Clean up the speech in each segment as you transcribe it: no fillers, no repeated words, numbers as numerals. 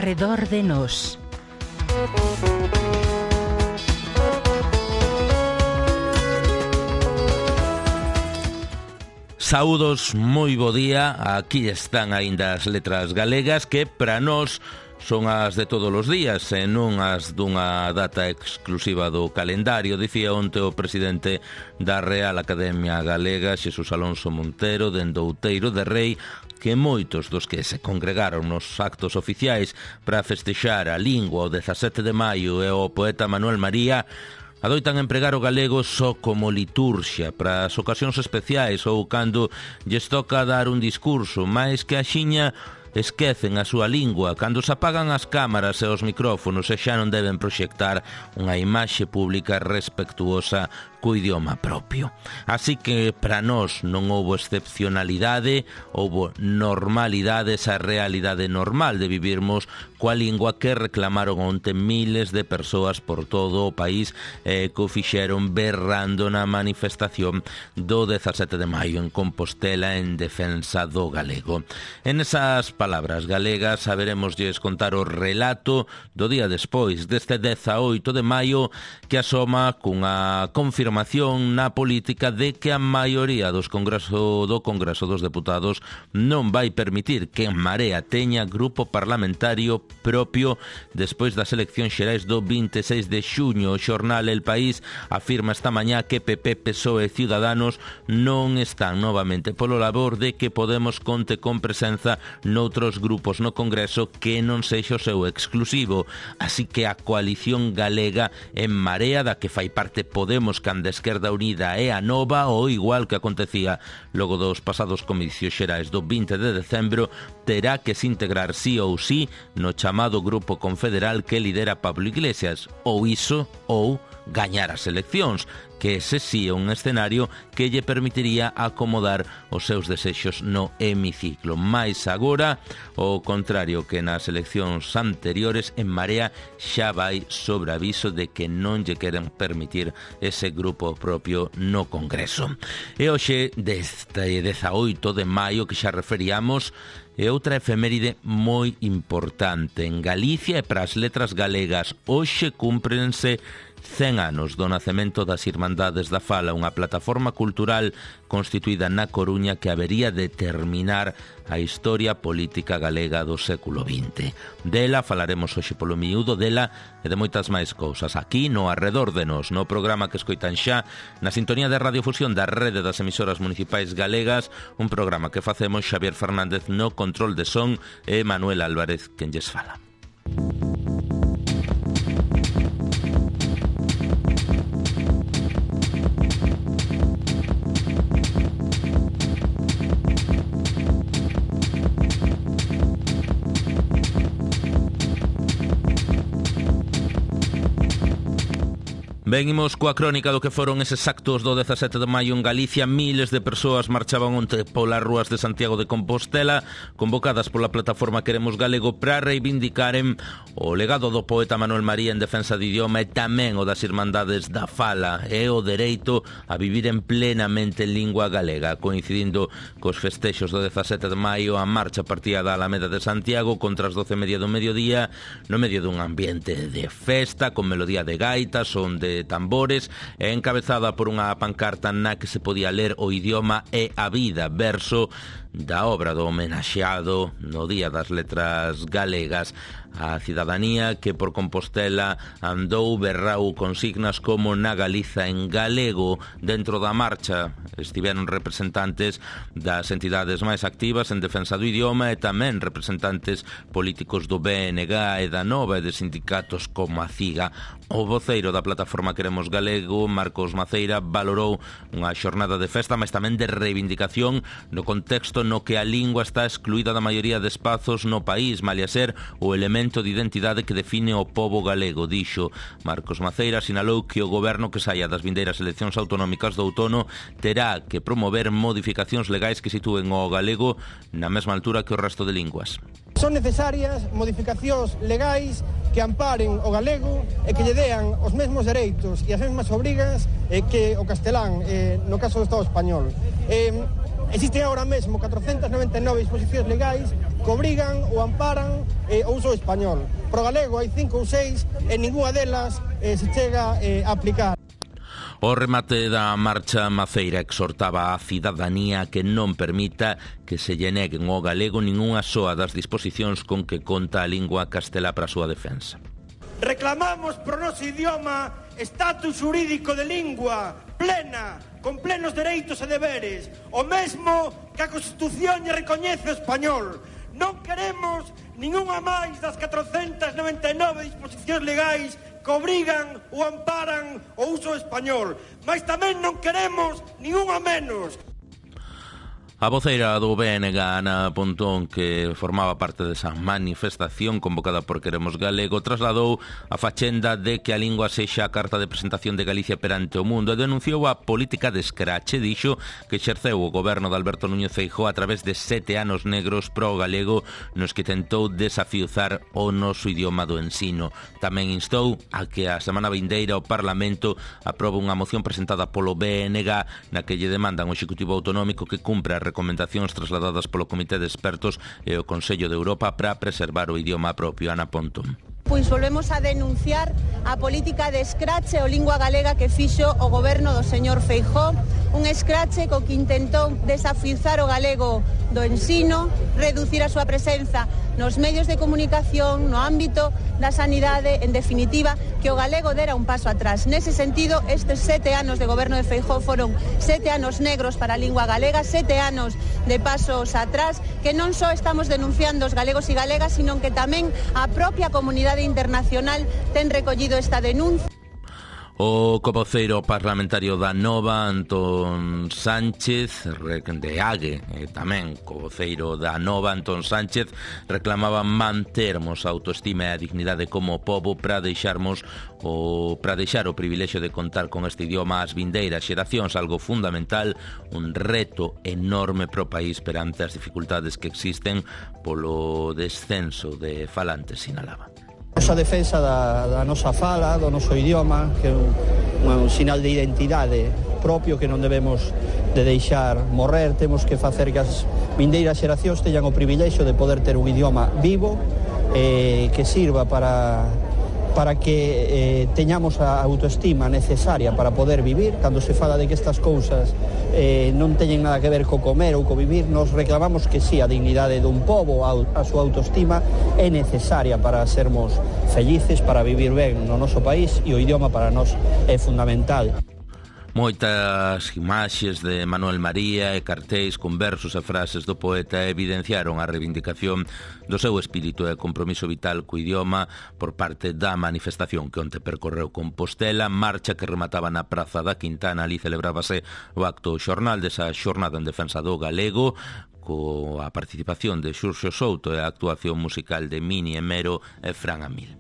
Arredor de nós. Saúdos, moi bo día. Aquí están aínda as letras galegas que para nós son as de todos os días e non as dunha data exclusiva do calendario. Dicía onte o presidente da Real Academia Galega, Xesús Alonso Montero, dende Outeiro de Rei, que moitos dos que se congregaron nos actos oficiais para festexar a lingua o 17 de maio e o poeta Manuel María adoitan empregar o galego só como liturxia para as ocasións especiais ou cando lles toca dar un discurso, máis que axiña esquecen a súa lingua cando se apagan as cámaras e os micrófonos e xa non deben proxectar unha imaxe pública respectuosa co idioma propio. Así que para nós non houbo excepcionalidade, houbo normalidade, esa realidade normal de vivirmos coa lingua que reclamaron onte miles de persoas por todo o país que o fixeron berrando na manifestación do 17 de maio en Compostela en defensa do galego. En esas palabras galegas saberemoslles contar o relato do día despois deste 18 de maio que asoma cunha confirmación na política de que a maioría do Congreso dos Deputados non vai permitir que En Marea teña grupo parlamentario propio despois das eleccións xerais do 26 de xuño. O xornal El País afirma esta mañá que PP, PSOE e Ciudadanos non están novamente polo labor de que Podemos conte con presenza noutros grupos no Congreso que non sexa o seu exclusivo. Así que a coalición galega En Marea, da que fai parte Podemos, canda Esquerda Unida e a Nova, ou igual que acontecía logo dos pasados comicios xerais do 20 de decembro, terá que se integrar sí ou sí no chamado Grupo Confederal que lidera Pablo Iglesias, ou iso ou gañar as eleccións, que ese sí é un escenario que lle permitiría acomodar os seus desexos no hemiciclo. Mais agora, o contrario que nas eleccións anteriores, En Marea xa vai sobre aviso de que non lle queren permitir ese grupo propio no Congreso. E hoxe, deste 18 de maio que xa referíamos, é outra efeméride moi importante. En Galicia e para as letras galegas hoxe cúmprense 100 anos do nacemento das Irmandades da Fala, unha plataforma cultural constituída na Coruña que habería de determinar a historia política galega do século XX. Dela falaremos hoxe polo miúdo, dela e de moitas máis cousas aquí no Arredor de Nós, no programa que escoitan xa na sintonía de radiofusión da Rede das Emisoras Municipais Galegas, un programa que facemos Xavier Fernández no control de son e Manuel Álvarez quen lles fala. Venimos coa crónica do que foron eses actos do 17 de maio en Galicia. Miles de persoas marchaban onte polas rúas de Santiago de Compostela, convocadas pola plataforma Queremos Galego para reivindicaren o legado do poeta Manuel María en defensa do idioma e tamén o das Irmandades da Fala e o dereito a vivir en plenamente en lingua galega. Coincidindo cos festexos do 17 de maio, a marcha partía da Alameda de Santiago contra as 12:30 do mediodía, no medio dun ambiente de festa, con melodía de gaitas, onde tambores, e encabezada por unha pancarta na que se podía ler o idioma e a vida, verso da obra do homenaxeado no Día das Letras Galegas. A cidadanía que por Compostela andou berrau consignas como na Galiza en galego. Dentro da marcha estiveron representantes das entidades máis activas en defensa do idioma e tamén representantes políticos do BNG e da Nova e de sindicatos como a CIGA. O voceiro da plataforma Queremos Galego, Marcos Maceira, valorou unha xornada de festa, mas tamén de reivindicación no contexto no que a lingua está excluída da maioría de espazos no país, malia ser o elemento de identidade que define o pobo galego. Dixo Marcos Maceira, sinalou que o goberno que saia das vindeiras eleccións autonómicas do outono terá que promover modificacións legais que sitúen o galego na mesma altura que o resto de linguas. Son necesarias modificacións legais que amparen o galego e que lle dean os mesmos dereitos e as mesmas obrigas que o castelán no caso do Estado español. Existen agora mesmo 499 disposicións legais que obrigan ou amparan o uso español. Pro galego hai 5 ou 6 e ninguna delas se chega a aplicar. O remate da marcha Maceira exhortaba á cidadanía que non permita que se lle neguen ao galego ningunha soa das disposicións con que conta a lingua castelá para a súa defensa. Reclamamos pro noso idioma estatus xurídico de lingua plena, con plenos dereitos e deberes, o mesmo que a Constitución lle recoñece o español. Non queremos ningunha máis das 499 disposicións legais que obrigan ou amparan o uso español, mas tamén non queremos ningunha menos. A voceira do BNG, Ana Pontón, que formaba parte desa manifestación convocada por Queremos Galego, trasladou a fachenda de que a lingua sexa a carta de presentación de Galicia perante o mundo e denunciou a política de escrache, dixo, que exerceu o goberno de Alberto Núñez Feijóo a través de 7 anos negros pro galego nos que tentou desafiuzar o noso idioma do ensino. Tamén instou a que a semana vindeira o Parlamento aprobe unha moción presentada polo BNG na que lle demandan ao Executivo Autonómico que cumpra recomendacións trasladadas polo Comité de Expertos e o Consello de Europa para preservar o idioma propio. Ana Pontón. Pois volvemos a denunciar a política de escrache o lingua galega que fixo o goberno do señor Feijóo, un escrache co que intentou desafiuzar o galego do ensino, reducir a súa presenza nos medios de comunicación, no ámbito da sanidade, en definitiva, que o galego dera un paso atrás. Nese sentido, estes 7 anos de goberno de Feijóo foron 7 anos negros para a lingua galega, 7 anos de pasos atrás, que non só estamos denunciando os galegos e galegas, sino que tamén a propia comunidade internacional ten recollido esta denuncia. O covoceiro parlamentario da Nova, Antón Sánchez, de AGE, e tamén covoceiro da Nova, Antón Sánchez, reclamaba mantermos a autoestima e a dignidade como pobo para deixar o privilexio de contar con este idioma ás vindeiras xeracións, algo fundamental, un reto enorme pro país perante as dificultades que existen polo descenso de falantes, sinalaba. A defensa da nosa fala, do noso idioma, que é un sinal de identidade propio que non debemos de deixar morrer. Temos que facer que as vindeiras xeracións teñan o privilexio de poder ter un idioma vivo que sirva para que teñamos a autoestima necesaria para poder vivir. Cando se fala de que estas cousas non teñen nada que ver co comer ou co vivir, nos reclamamos que sí, a dignidade dun pobo, a súa autoestima é necesaria para sermos felices, para vivir ben no noso país, e o idioma para nós é fundamental. Moitas imaxes de Manuel María e cartéis con versos e frases do poeta evidenciaron a reivindicación do seu espírito e compromiso vital co idioma por parte da manifestación que onte percorreu Compostela, marcha que remataba na Praza da Quintana. Ali celebrábase o acto xornal desa xornada en defensa do galego, coa participación de Xurxo Souto e a actuación musical de Mini Emero e Fran Amil.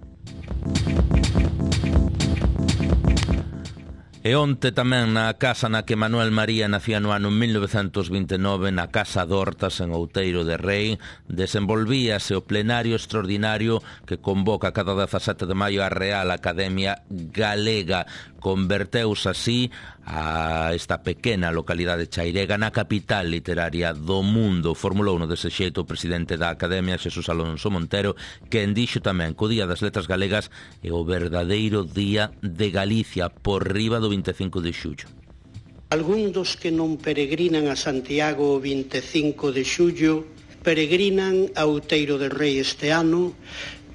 E onte tamén na casa na que Manuel María nacía no ano 1929, na Casa d'Hortas en Outeiro de Rei, desenvolvíase o plenario extraordinario que convoca cada 17 de maio a Real Academia Galega. Converteuse así a esta pequena localidade chairega na capital literaria do mundo. Formulouno dese xeito o presidente da Academia, Xesús Alonso Montero, que dixo tamén que o Día das Letras Galegas é o verdadeiro Día de Galicia, por riba do 25 de xullo. Algúns dos que non peregrinan a Santiago o 25 de xullo peregrinan a Outeiro de Rei este ano,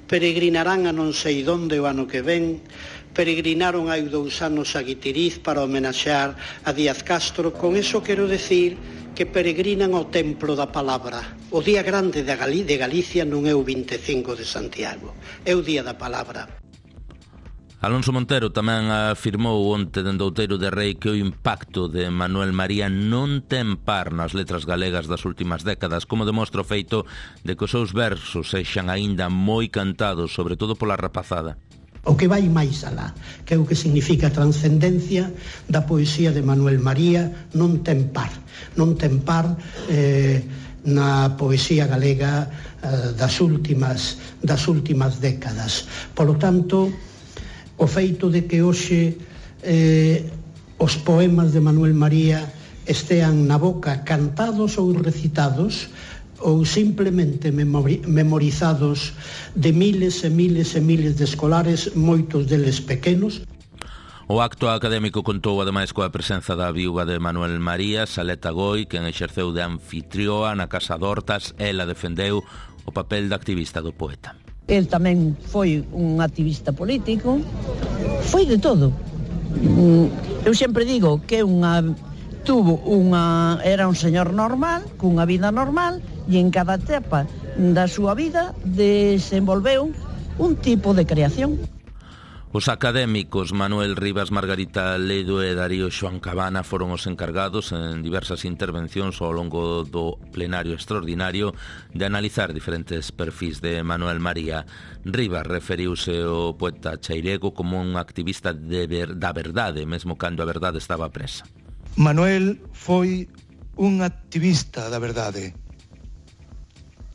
peregrinarán a non sei donde o ano que ven, peregrinaron hai 2 anos a Guitiriz para homenaxear a Díaz Castro. Con eso quero decir que peregrinan ao templo da palabra. O día grande de Galicia non é o 25 de Santiago, é o día da palabra. Alonso Montero tamén afirmou onte dende Outeiro de Rei que o impacto de Manuel María non ten par nas letras galegas das últimas décadas, como demostra o feito de que os seus versos sexan aínda moi cantados, sobre todo pola rapazada. O que vai máis alá, que é o que significa a transcendencia da poesía de Manuel María, non ten par na poesía galega das últimas décadas. Polo tanto, o feito de que hoxe os poemas de Manuel María estean na boca cantados ou recitados ou simplemente memorizados de miles e miles e miles de escolares, moitos deles pequenos. O acto académico contou ademais coa presenza da viúva de Manuel María, Saleta Goi, quen exerceu de anfitrioa na Casa d'Hortas. Ela defendeu o papel de activista do poeta. El tamén foi un activista político, foi de todo. Eu sempre digo que era un señor normal, cunha vida normal, e en cada etapa da súa vida desenvolveu un tipo de creación. Os académicos Manuel Rivas, Margarita Ledo e Darío Xoán Cabana foron os encargados en diversas intervencións ao longo do plenario extraordinario de analizar diferentes perfis de Manuel María. Rivas referiuse ao poeta chairego como un activista da verdade, mesmo cando a verdade estaba presa. Manuel foi un activista da verdade,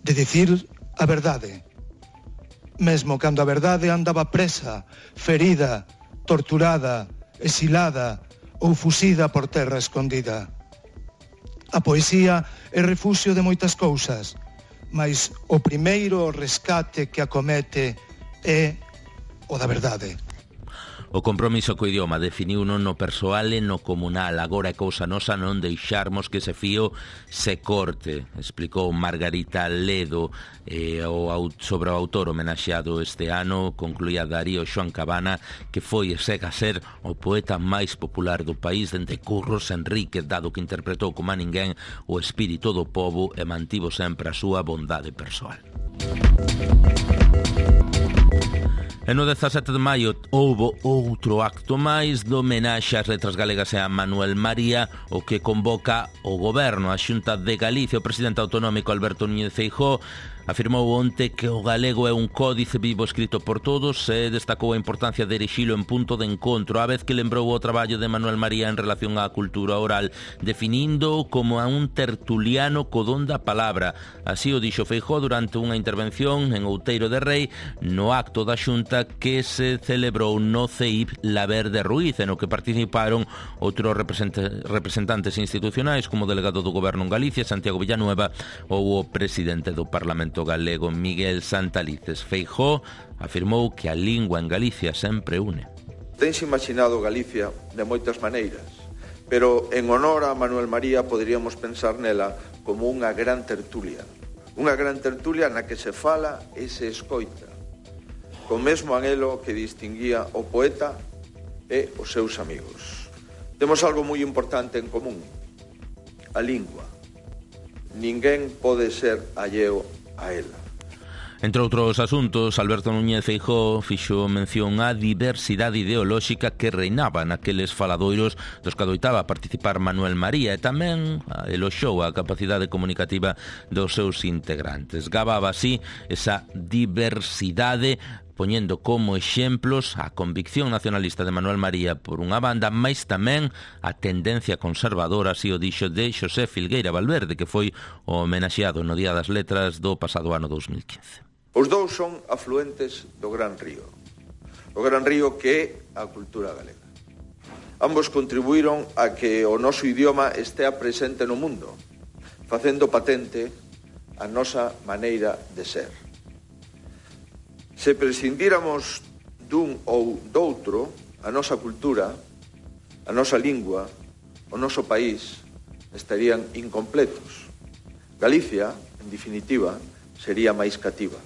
de dicir a verdade, mesmo cando a verdade andaba presa, ferida, torturada, exilada ou fusida por terra escondida. A poesía é refuxio de moitas cousas, mas o primeiro rescate que acomete é o da verdade. O compromiso co idioma definiuno no persoal e no comunal. Agora é cousa nosa non deixarmos que ese fío se corte, explicou Margarita Ledo. Sobre o autor homenaxeado este ano, concluía Darío Xoán Cabana, que foi e segue a ser o poeta máis popular do país dende Curros Enríquez, dado que interpretou como a ninguén o espírito do pobo e mantivo sempre a súa bondade persoal. E no 17 de maio houbo outro acto máis do homenaxe ás letras galegas e a Manuel María, o que convoca o Goberno. A Xunta de Galicia, o presidente autonómico Alberto Núñez Feijóo, afirmou onte que o galego é un códice vivo escrito por todos e destacou a importancia de erixilo en punto de encontro, a vez que lembrou o traballo de Manuel María en relación á cultura oral, definindo como a un tertuliano co don da palabra. Así o dixo Feijóo durante unha intervención en Outeiro de Rei no acto da Xunta que se celebrou no CEIP Laver de Ruiz, no que participaron outros representantes institucionais como o delegado do Goberno en Galicia, Santiago Villanueva, ou o presidente do Parlamento galego, Miguel Santalices. Feijóo afirmou que a lingua en Galicia sempre une. Tense imaginado Galicia de moitas maneiras, pero en honor a Manuel María poderíamos pensar nela como unha gran tertulia na que se fala e se escoita, co mesmo anhelo que distinguía o poeta e os seus amigos. Temos algo moi importante en común: a lingua. Ninguén pode ser alleo a ela. Entre outros asuntos, Alberto Núñez Feijóo fixo mención á diversidade ideolóxica que reinaba naqueles faladoiros dos que adoitaba participar Manuel María, e tamén eloxou a capacidade comunicativa dos seus integrantes. Gababa así esa diversidade, poñendo como exemplos a convicción nacionalista de Manuel María por unha banda, mais tamén a tendencia conservadora, así o dixo, de Xosé Filgueira Valverde, que foi o homenaxeado no Día das Letras do pasado ano 2015. Os dous son afluentes do Gran Río, o Gran Río que é a cultura galega. Ambos contribuíron a que o noso idioma estea presente no mundo, facendo patente a nosa maneira de ser. Se prescindíramos dun ou doutro, a nosa cultura, a nosa lingua, o noso país estarían incompletos. Galicia, en definitiva, sería máis cativa.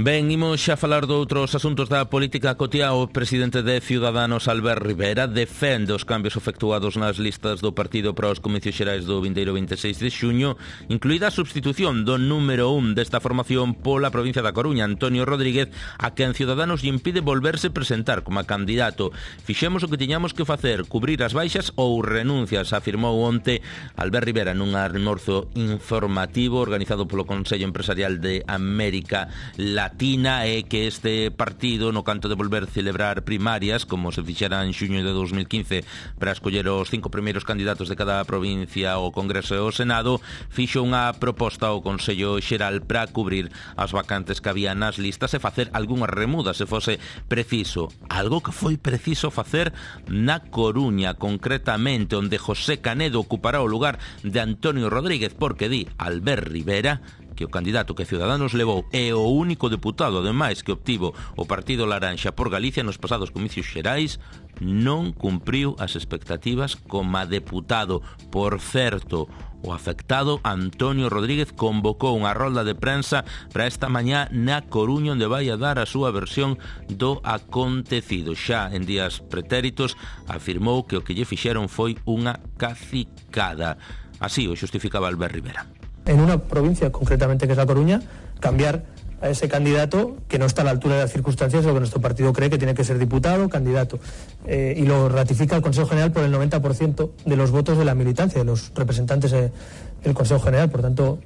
Ben, imos xa falar de outros asuntos da política cotiá. O presidente de Ciudadanos, Albert Rivera, defende os cambios efectuados nas listas do partido para os comicios xerais do vindeiro 26 de xuño, incluída a substitución do número 1 desta formación pola provincia da Coruña, Antonio Rodríguez, a quen Ciudadanos lle impide volverse presentar como candidato. Fixemos o que tiñamos que facer, cubrir as baixas ou renuncias, afirmou onte Albert Rivera nun almorzo informativo organizado polo Consello Empresarial de América Latina. patina é que este partido, no canto de volver celebrar primarias, como se fixera en xuño de 2015 para escoller os 5 primeiros candidatos de cada provincia ao Congreso e ao Senado, fixo unha proposta ao Consello Xeral para cubrir as vacantes que había nas listas e facer algunha remuda se fose preciso. Algo que foi preciso facer na Coruña, concretamente, onde José Canedo ocupará o lugar de Antonio Rodríguez, porque di Albert Rivera que o candidato que Ciudadanos levou é o único deputado, ademais, que obtivo o Partido Laranxa por Galicia nos pasados comicios xerais, non cumpriu as expectativas como deputado. Por certo, o afectado Antonio Rodríguez convocou unha rolda de prensa para esta mañá na Coruña, onde vai a dar a súa versión do acontecido. Xa en días pretéritos afirmou que o que lle fixeron foi unha cacicada. Así o xustificaba Albert Rivera. En una provincia, concretamente que es La Coruña, cambiar a ese candidato que no está a la altura de las circunstancias, lo que nuestro partido cree que tiene que ser diputado, candidato. Y lo ratifica el Consejo General por el 90% de los votos de la militancia, de los representantes del Consejo General. Por tanto,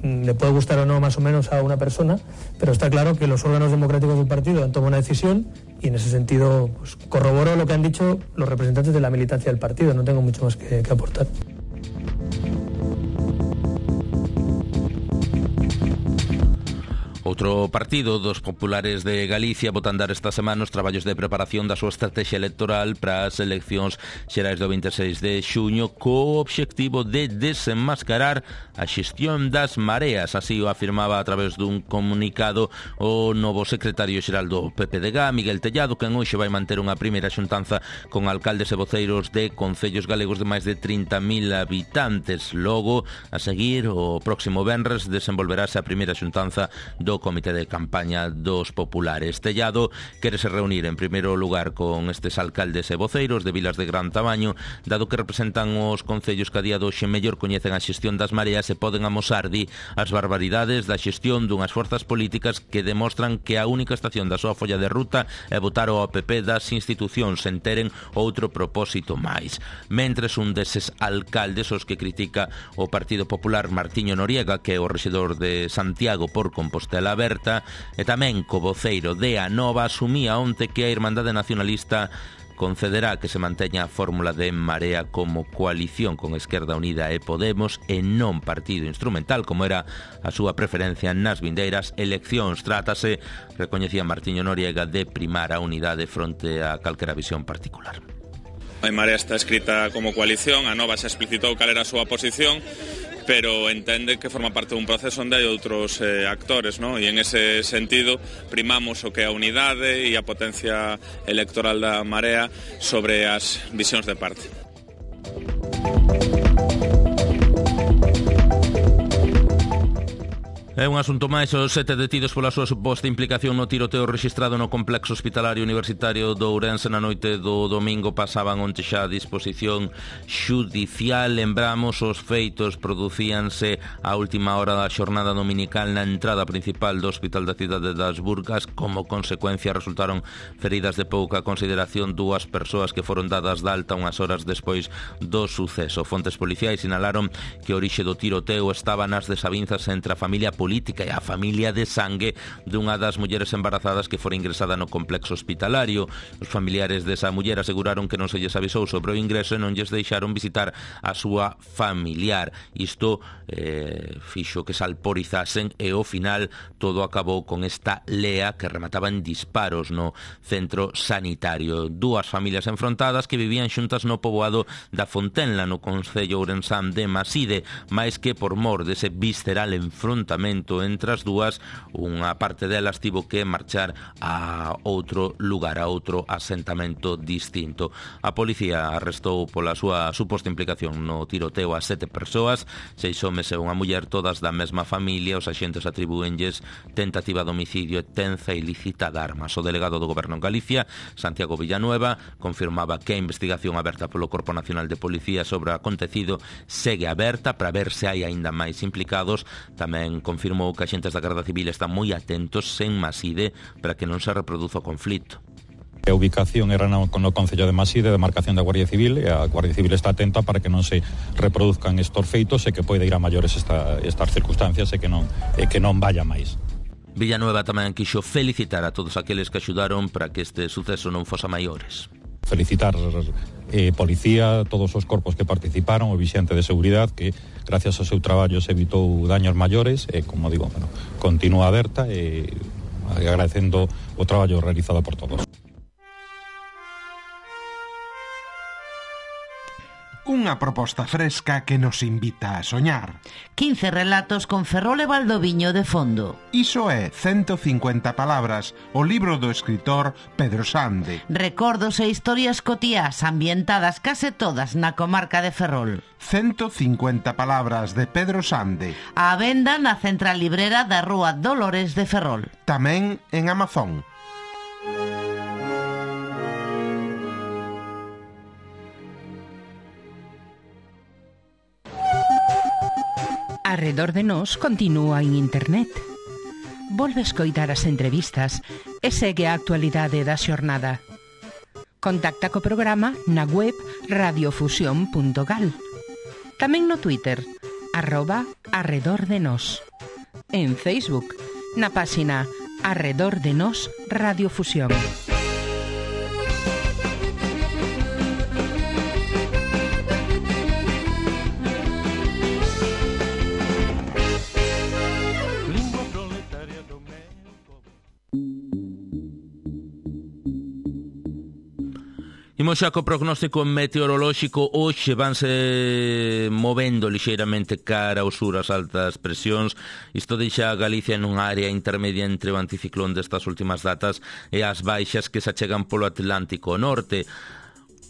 le puede gustar o no más o menos a una persona, pero está claro que los órganos democráticos del partido han tomado una decisión y en ese sentido pues, corroboró lo que han dicho los representantes de la militancia del partido. No tengo mucho más que aportar. Outro partido dos populares de Galicia bota a andar esta semana os traballos de preparación da súa estrategia electoral para as eleccións xerais do 26 de xuño co obxectivo de desenmascarar a xestión das mareas. Así o afirmaba a través dun comunicado o novo secretario xeral do PPDG, Miguel Tellado, que hoxe vai manter unha primeira xuntanza con alcaldes e voceiros de concellos galegos de máis de 30.000 habitantes. Logo, a seguir, o próximo venres desenvolverase a primeira xuntanza do Comité de Campaña dos Populares. Tellado quérese reunir en primeiro lugar con estes alcaldes e voceiros de vilas de gran tamaño, dado que representan os concellos que a día doxe mellor coñecen a xestión das mareas e poden amosar, di, as barbaridades da xestión dunhas forzas políticas que demostran que a única estación da súa folla de ruta é votar ao PP das institucións sen teren outro propósito máis. Mentres un deses alcaldes os que critica o Partido Popular, Martiño Noriega, que é o rexedor de Santiago por Compostela Aberta, e tamén co voceiro de Anova, asumía onte que a Irmandade Nacionalista concederá que se manteña a fórmula de Marea como coalición con Esquerda Unida e Podemos e non partido instrumental, como era a súa preferencia nas vindeiras eleccións. Trátase, recoñecía Martiño Noriega, de primar a unidade fronte a calquera visión particular. A Marea está escrita como coalición, a Nova xa explicitou cal era a súa posición, pero entende que forma parte dun proceso onde hai outros actores, ¿no? E en ese sentido primamos o que é a unidade e a potencia electoral da Marea sobre as visións de parte. É un asunto máis, os 7 detidos pola súa suposta implicación no tiroteo rexistrado no complexo hospitalario universitario do Ourense na noite do domingo pasaban onte xa a disposición xudicial. Lembramos, os feitos producíanse a última hora da xornada dominical na entrada principal do Hospital da Cidade das Burgas. Como consecuencia resultaron feridas de pouca consideración 2 persoas que foron dadas de alta unhas horas despois do suceso. Fontes policiais sinalaron que a orixe do tiroteo estaba nas desavinzas entre a familia política e a familia de sangue dunha das mulleres embarazadas que fora ingresada no complexo hospitalario. Os familiares desa muller aseguraron que non se lles avisou sobre o ingreso e non lles deixaron visitar a súa familiar. Isto fixo que se alporizasen e ao final todo acabou con esta lea que remataba en disparos no centro sanitario. 2 familias enfrontadas que vivían xuntas no poboado da Fontenla, no concello ourensán de Maside, máis que por mor dese visceral enfrontamento entre as dúas, unha parte delas tivo que marchar a outro lugar, a outro asentamento distinto. A policía arrestou pola súa suposta implicación no tiroteo a 7 persoas, 6 homes e unha muller, todas da mesma familia. Os axentes atribúenlles tentativa de homicidio e tenza ilícita de armas. O delegado do Goberno en Galicia, Santiago Villanueva, confirmaba que a investigación aberta polo Corpo Nacional de Policía sobre o acontecido segue aberta para ver se hai aínda máis implicados. Tamén confirmou que axentes da Garda Civil están moi atentos en Maside para que non se reproduza o conflito. A ubicación era no Concello de Maside, de marcación da Guardia Civil, e a Guardia Civil está atenta para que non se reproduzcan estos feitos e que poida ir a maiores estas circunstancias e que non vaya máis. Villanueva tamén quixo felicitar a todos aqueles que axudaron para que este suceso non fosa maiores. Felicitar policía, todos os corpos que participaron, o vixente de seguridade que gracias ao seu traballo se evitou daños maiores e, como digo, continúa aberta e agradecendo o traballo realizado por todos. Unha proposta fresca que nos invita a soñar. 15 relatos con Ferrol e Valdoviño de fondo. Iso é 150 palabras, o libro do escritor Pedro Sande. Recordos e historias cotiás ambientadas case todas na comarca de Ferrol. 150 palabras de Pedro Sande. A venda na central librera da Rúa Dolores de Ferrol. Tamén en Amazon. Arredor de Nós continúa en internet. Volve escoitar as entrevistas e segue a actualidade da xornada. Contacta co programa na web radiofusión.gal. Tamén no Twitter, @arredordenos. En Facebook, na páxina Arredor de Nós Radiofusión. Imos xa co prognóstico meteorolóxico. Hoxe vanse movendo lixeiramente cara ao sur as altas presións. Isto deixa a Galicia nunha área intermedia entre o anticiclón destas últimas datas e as baixas que se achegan polo Atlántico Norte.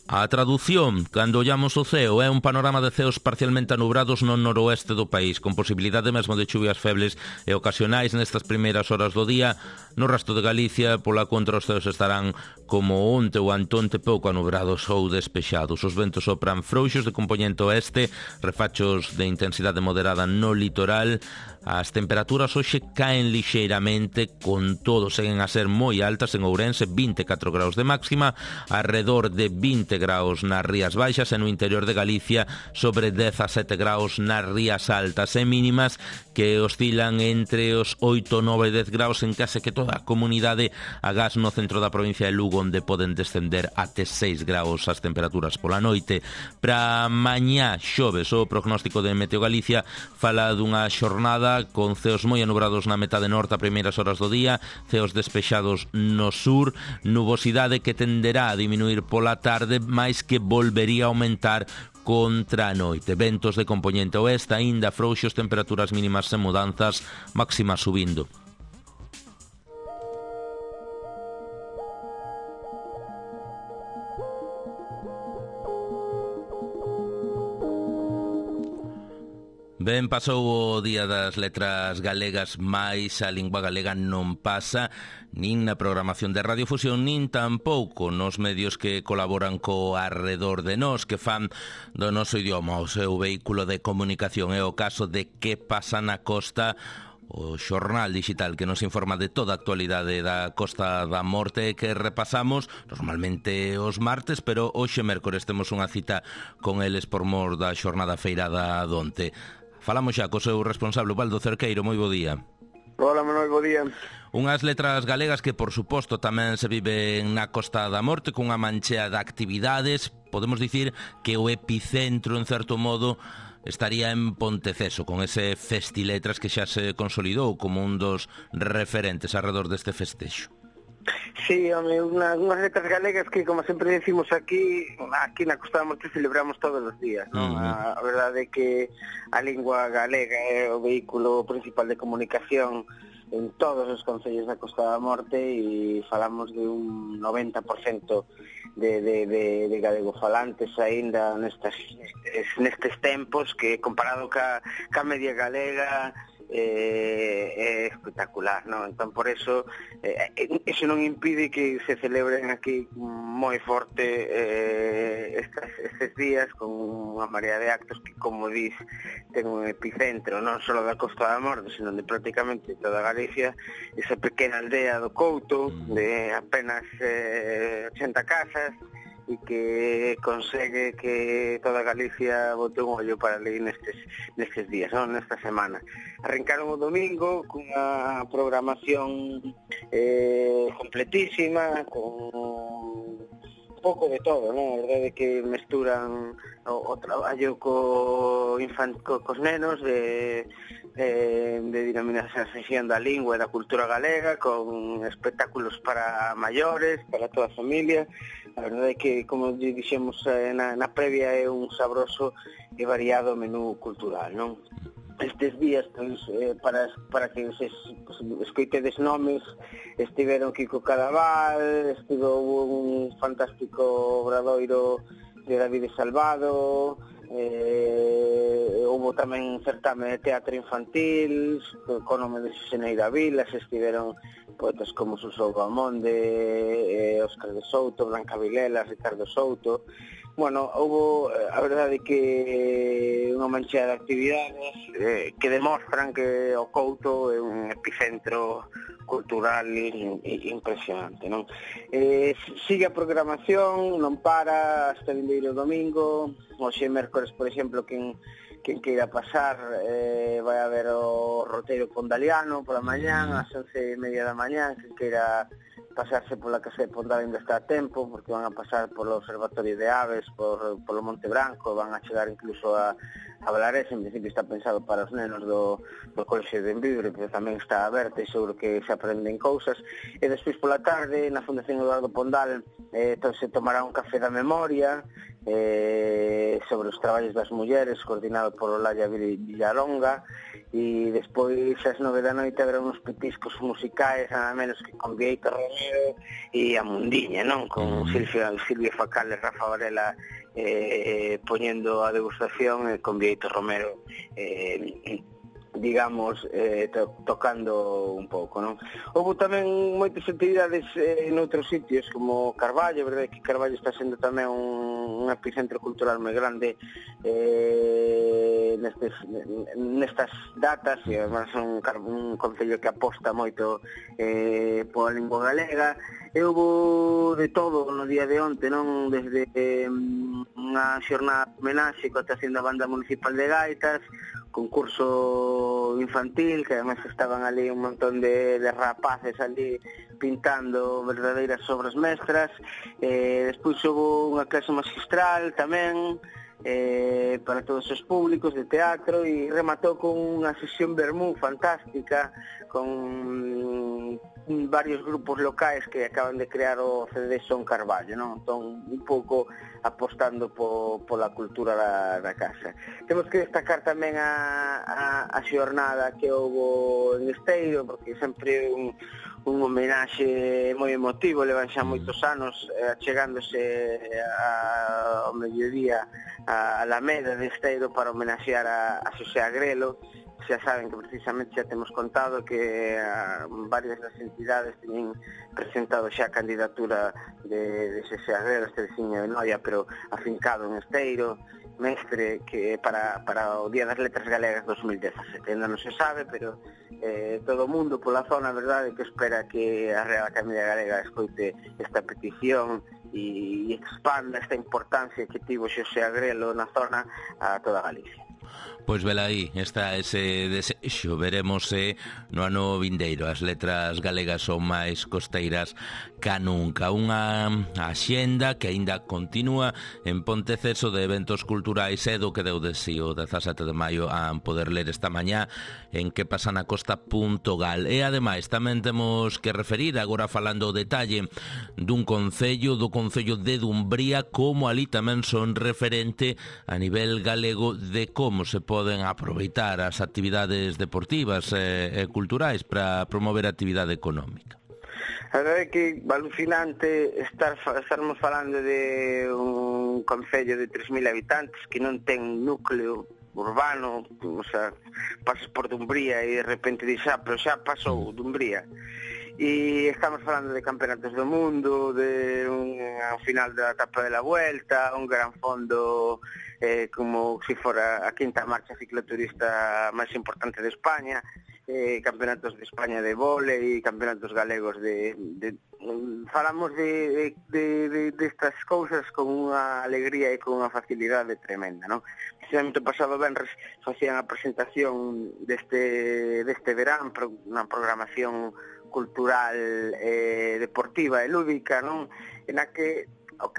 A tradución, cando ollamos o ceo, é un panorama de ceos parcialmente anubrados no noroeste do país, con posibilidade mesmo de chuvias febles e ocasionais nestas primeiras horas do día. No resto de Galicia, pola contra, os ceos estarán como onte ou antonte pouco anubrados ou despexados. Os ventos sopran frouxos de compoñente oeste, refachos de intensidade moderada no litoral. As temperaturas hoxe caen lixeiramente, con todo seguen a ser moi altas en Ourense, 24 graus de máxima, alrededor de 20 graus nas Rías Baixas e no interior de Galicia sobre 17 graus nas Rías Altas e mínimas que oscilan entre os 8, 9 e 10 graus en case que toda a comunidade, agás no centro da provincia de Lugo, onde poden descender até 6 graus as temperaturas pola noite. Para mañá xoves, o prognóstico de Meteo Galicia fala dunha xornada con ceos moi anubrados na metade norte a primeiras horas do día, ceos despexados no sur, nubosidade que tenderá a diminuir pola tarde, máis que volvería a aumentar contra a noite. Ventos de compoñente oeste, aínda frouxos, temperaturas mínimas sen mudanzas, máximas subindo. Ben, pasou o Día das Letras Galegas, mais a lingua galega non pasa nin na programación de Radiofusión, nin tampouco nos medios que colaboran co Arredor de Nós, que fan do noso idioma o seu vehículo de comunicación. É o caso de Que pasa na costa, o xornal digital que nos informa de toda a actualidade da Costa da Morte, que repasamos normalmente os martes, pero hoxe mércores temos unha cita con eles por mor da xornada feirada donte. Falamos xa co seu responsable, Ubaldo Cerqueiro. Moi bo día. Hola, Manuel, bo día. Unhas letras galegas que, por suposto, tamén se viven na Costa da Morte, cunha manchea de actividades. Podemos dicir que o epicentro, en certo modo, estaría en Ponteceso, con ese Festiletras que xa se consolidou como un dos referentes alrededor deste festexo. Sí, home, unhas letras galegas que, como sempre decimos aquí na Costa da Morte celebramos todos os días, non? A verdade é que a lingua galega é o vehículo principal de comunicación en todos os concellos da Costa da Morte e falamos de un 90% de galegofalantes aínda nestes tempos, que comparado ca media galega é espectacular, non? Entón, por eso non impide que se celebren aquí moi forte estes días con unha marea de actos que, como dís, ten un epicentro non só da Costa da Morte, sino de prácticamente toda Galicia. Esa pequena aldea do Couto de apenas 80 casas e que consegue que toda Galicia bote un ollo para ali nestes días, non? Nesta semana. Arrancaron o domingo cunha programación completísima, con pouco de todo, non? A verdade é que mesturan o traballo cos nenos de dinamización da lingua e da cultura galega, con espectáculos para maiores, para toda a familia. A verdade é que, como dixemos na previa, é un sabroso e variado menú cultural, non? Estes días, pois, para que se escoitedes nomes, estiveron Kiko Cadaval, estivo un fantástico obradoiro de David Salvado, houve tamén certame de teatro infantil con nome de Xeneira Vilas, estiveron poetas como Suso Bamonde, Óscar de Souto, Blanca Vilela, Ricardo Souto. Bueno, houve, a verdade que unha mancha de actividades que demostran que o Couto é un epicentro cultural impresionante, non? Sigue a programación, non para hasta vindeiro domingo. Hoxe mércores, por exemplo, quen queira pasar, vai haber o roteiro pondaliano pola mañán, ás 11:30 da mañán. Quen queira pasarse pola Casa de Pondal ainda está a tempo, porque van a pasar polo Observatorio de Aves, polo Monte Branco, van a chegar incluso a Valares. En principio está pensado para os nenos do Colexio de Envibre, pero tamén está aberto e seguro que se aprenden cousas. E despois pola tarde, na Fundación Eduardo Pondal, se tomará un café da memoria sobre os traballos das mulleres, coordinado por Olaya Villalonga, e despois ás 9 da noite haberá uns petiscos musicais, nada menos que con Vieito Romero e a Mundiña, non? Con Silvia Facal e Rafa Varela poñendo a degustación, con Vieito Romero digamos, tocando un pouco, non? Houve tamén moitas actividades noutros sitios, como Carballo. A verdade é que Carballo está sendo tamén un epicentro cultural moi grande nestas datas, e además un concello que aposta moito pola lingua galega. E houve de todo no día de onte, non? Desde unha xornada de homenaxe coa actuación da Banda Municipal de Gaitas, concurso infantil, que además estaban ali un montón de rapaces ali pintando verdadeiras obras mestras. Despois houve unha clase magistral tamén para todos os públicos de teatro, e rematou con unha sesión vermú fantástica con varios grupos locais que acaban de crear o CD Son Carballo, non? Entón, un pouco apostando pola cultura da casa. Temos que destacar tamén a xornada que houve en Esteiro, porque sempre un homenaxe moi emotivo. Levan xa moitos anos achegándose ao mediodía a Alameda de Esteiro para homenaxear a Xosé Agrelo. Xa saben que precisamente xa temos contado que varias das entidades teñen presentado xa a candidatura de Xosé Agrelo, este veciño de Noia, pero afincado en Esteiro, mestre, que para o Día das Letras Galegas 2017. Ainda non se sabe, pero todo o mundo pola zona, a verdade, que espera que a Real Academia Galega escoite esta petición e expanda esta importancia que tivo Xosé Agrelo na zona a toda Galicia. Pois velaí, está ese desexo. Veremos se no ano vindeiro as letras galegas son máis costeiras ca nunca. Unha axenda que aínda continúa en Ponteceso de eventos culturais, e do que deu de si o 17 de maio a poder ler esta mañá en quepasanacosta.gal. E ademais tamén temos que referir, agora falando o detalle dun concello, do Concello de Dumbría, como ali tamén son referente a nivel galego de como se poden aproveitar as actividades deportivas e culturais para promover a actividade económica. A verdade é que alucinante estarmos falando de un concello de 3.000 habitantes que non ten núcleo urbano, o sea, pasas por Dumbría e de repente dixas, pero xa pasou Dumbría. E estamos falando de campeonatos do mundo, de un final da etapa de la Vuelta, un gran fondo como se fora a quinta marcha cicloturista máis importante de España. campeonatos de España de vóley, campeonatos galegos falamos de estas cousas con unha alegría e con unha facilidade tremenda, non? Precisamente o pasado venres facían a presentación deste verán, unha programación cultural, deportiva e lúdica, non? En a que o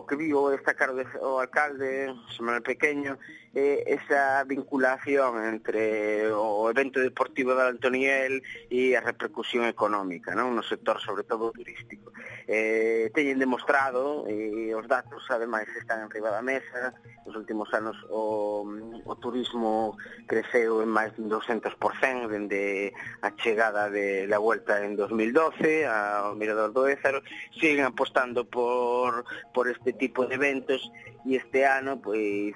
que viu destacar o alcalde Samuel Pequeño esa vinculación entre o evento deportivo de Antoniel e a repercusión económica, non? No sector, sobre todo, turístico. Teñen demostrado, e os datos, ademais, están en riba da mesa. Nos últimos anos o turismo creceu en máis de 200% dende a chegada da Vuelta en 2012 ao Mirador do Ézaro. Siguen apostando por este tipo de eventos e este ano, pois,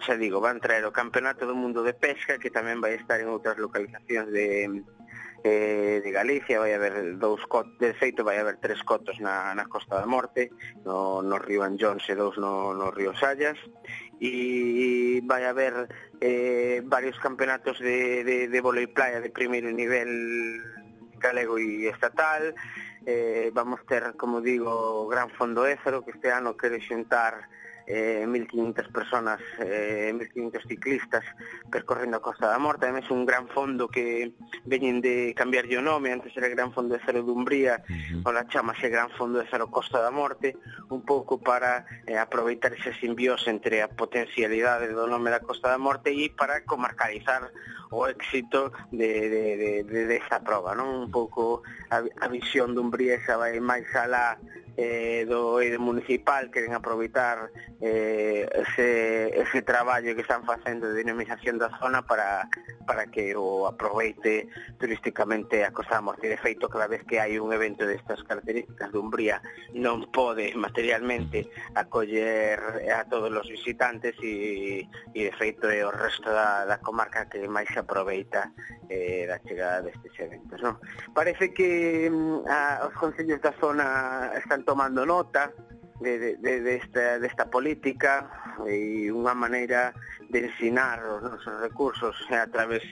xa digo, van traer o Campeonato do Mundo de Pesca, que tamén vai estar en outras localizacións de Galicia. Vai haber de feito vai haber 3 cotos na Costa da Morte, no río Anllóns e 2 no río Sallas, e vai haber varios campeonatos de vólei playa de primeiro nivel galego e estatal. Vamos ter, como digo, o Gran Fondo Ézaro, que este ano quere xuntar 1.500 personas, 1.500 ciclistas percorrendo a Costa da Morte. Ademais, un gran fondo que veñen de cambiarlle o nome. Antes era Gran Fondo Ézaro de Umbría, ahora chamase Gran Fondo Ézaro Costa da Morte, un pouco para aproveitar esa simbiose entre a potencialidade do nome da Costa da Morte e para comarcalizar o éxito desta proba, non? Un pouco a visión de Umbría esa vai máis alá do eido municipal. Queren aproveitar ese traballo que están facendo de dinamización da zona para que o aproveite turísticamente a Costa da Morte. De feito, cada vez que hai un evento destas características de Umbría, non pode materialmente acoller a todos os visitantes e de feito é o resto da comarca que máis se aproveita da chegada destes eventos, non? Parece que os concellos da zona están tomando nota desta política e unha maneira de ensinar os nosos recursos a través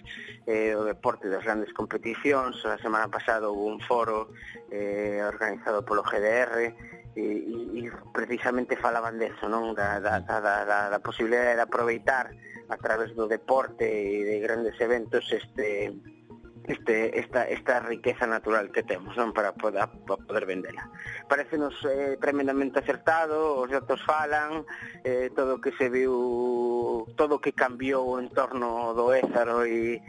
do deporte das grandes competicións. A semana pasada houve un foro organizado polo GDR e precisamente falaban deso, non? Da posibilidade de aproveitar a través do deporte e de grandes eventos esta riqueza natural que temos, non? Para poder vendela. Parecenos tremendamente acertado, os datos falan, todo o que se viu, todo o que cambiou en torno do Ézaro e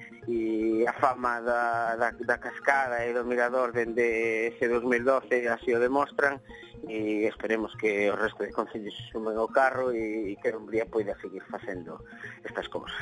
a fama da cascada e do mirador dende ese 2012 así o demostran, e esperemos que o resto de concellos se sumen ao carro e que Umbría poida seguir facendo estas cousas.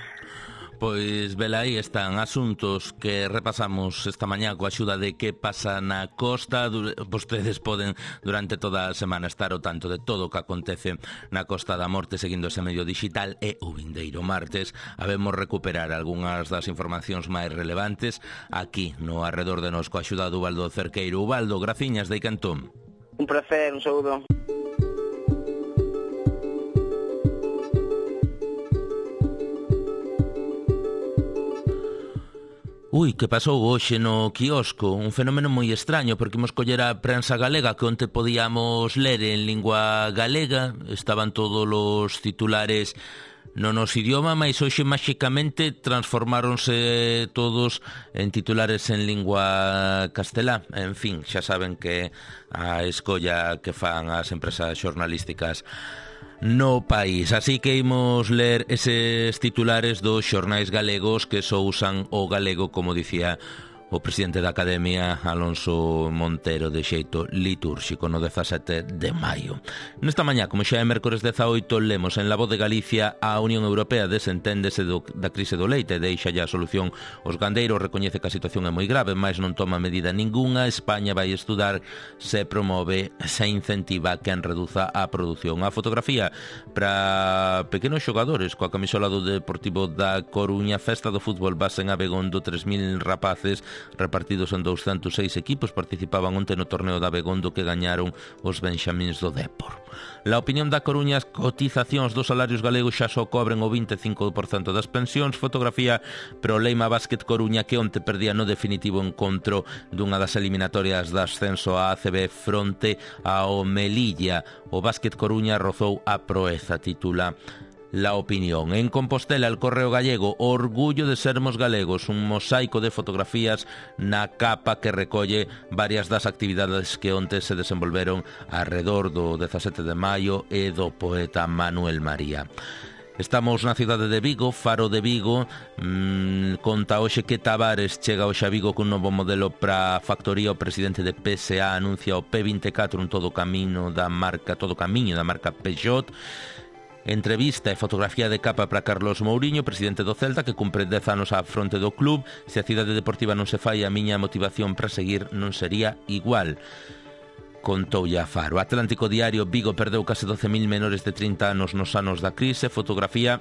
Pois, vela, aí están asuntos que repasamos esta mañá coa axuda de Que Pasa na Costa. Vostedes poden durante toda a semana estar ao tanto de todo o que acontece na Costa da Morte seguindo ese medio digital, e o vindeiro martes habemos recuperar algunhas das informacións máis relevantes aquí no Arredor de Nos coa axuda do Ubaldo Cerqueiro. Ubaldo, graciñas de Icantón. Un placer, un saúdo. Que pasou hoxe no quiosco? Un fenómeno moi extraño, porque imos coller a prensa galega que onte podíamos ler en lingua galega, estaban todos os titulares no noso idioma, mas hoxe máxicamente transformáronse todos en titulares en lingua castelá. En fin, xa saben que a escolla que fan as empresas xornalísticas no país. Así que imos ler eses titulares dos xornais galegos que só usan o galego, como dicía o presidente da Academia, Alonso Montero, de xeito litúrxico no 17 de maio. Nesta mañá, como xa é mércores 18, lemos en La Voz de Galicia: a Unión Europea desenténdese da crise do leite, deixa ya a solución aos gandeiros, recoñece que a situación é moi grave, mas non toma medida ningunha. España vai estudar se promove, se incentiva quen reduza a produción. A fotografía para pequenos xogadores coa camisola do Deportivo da Coruña, festa do fútbol base en Abegondo, 3.000 rapaces repartidos en 206 equipos, participaban onte no torneo da Begondo que gañaron os benxamíns do Dépor. La opinión da Coruña, as cotizacións dos salarios galegos xa só cobren o 25% das pensións. Fotografía pro Leima Básquet Coruña, que onte perdía no definitivo encontro dunha das eliminatorias de ascenso a ACB fronte ao Melilla. O Básquet Coruña rozou a proeza, titula La Opinión. En Compostela, el Correo Gallego, orgullo de sermos galegos, un mosaico de fotografías na capa que recolle varias das actividades que onte se desenvolveron arredor do 17 de maio e do poeta Manuel María. Estamos na cidade de Vigo, Faro de Vigo, conta hoxe que Tavares chega hoxe a Vigo cun novo modelo para a factoría. O presidente de PSA anuncia o P24 en todo camiño da marca Peugeot. Entrevista e fotografía de capa para Carlos Mouriño, presidente do Celta, que cumpre 10 anos á fronte do club. Se a cidade deportiva non se fai, a miña motivación para seguir non sería igual, contoulle a Faro. Atlántico Diario, Vigo perdeu case 12.000 menores de 30 anos nos anos da crise. Fotografía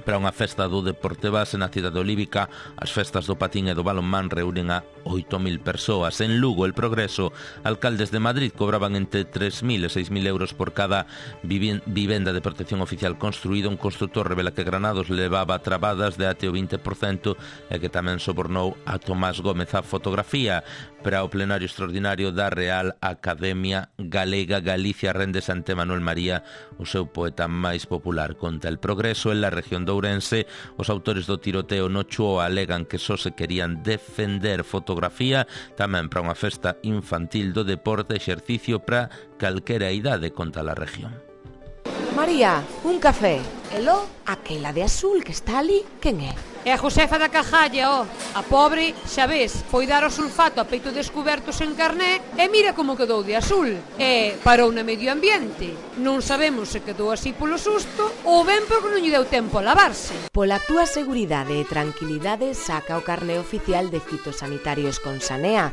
para unha festa do deporte base na cidade olívica. As festas do patín e do balonmán reúnen a 8.000 persoas. En Lugo, El Progreso, alcaldes de Madrid cobraban entre 3.000 e 6.000 euros por cada vivenda de protección oficial construída. Un constructor revela que Granados levaba trabadas de até o 20% e que tamén sobornou a Tomás Gómez. A fotografía para o plenario extraordinario da Real Academia Galega. Galicia réndese ante Manuel María, o seu poeta máis popular. Conta El Progreso, en la región de Ourense, os autores do tiroteo no Chuo alegan que só se querían defender. Fotografía tamén para unha festa infantil do deporte, exercicio para calquera idade, conta la región. María, un café. Elo, aquela de azul que está ali, quen é? É a Josefa da Cajalla, ó. A pobre, xa ves, foi dar o sulfato a peito descuberto sen carné e mira como quedou de azul. E parou na medio ambiente. Non sabemos se quedou así polo susto ou ben porque non lle deu tempo a lavarse. Pola túa seguridade e tranquilidade, saca o carné oficial de fitosanitarios con Sanea.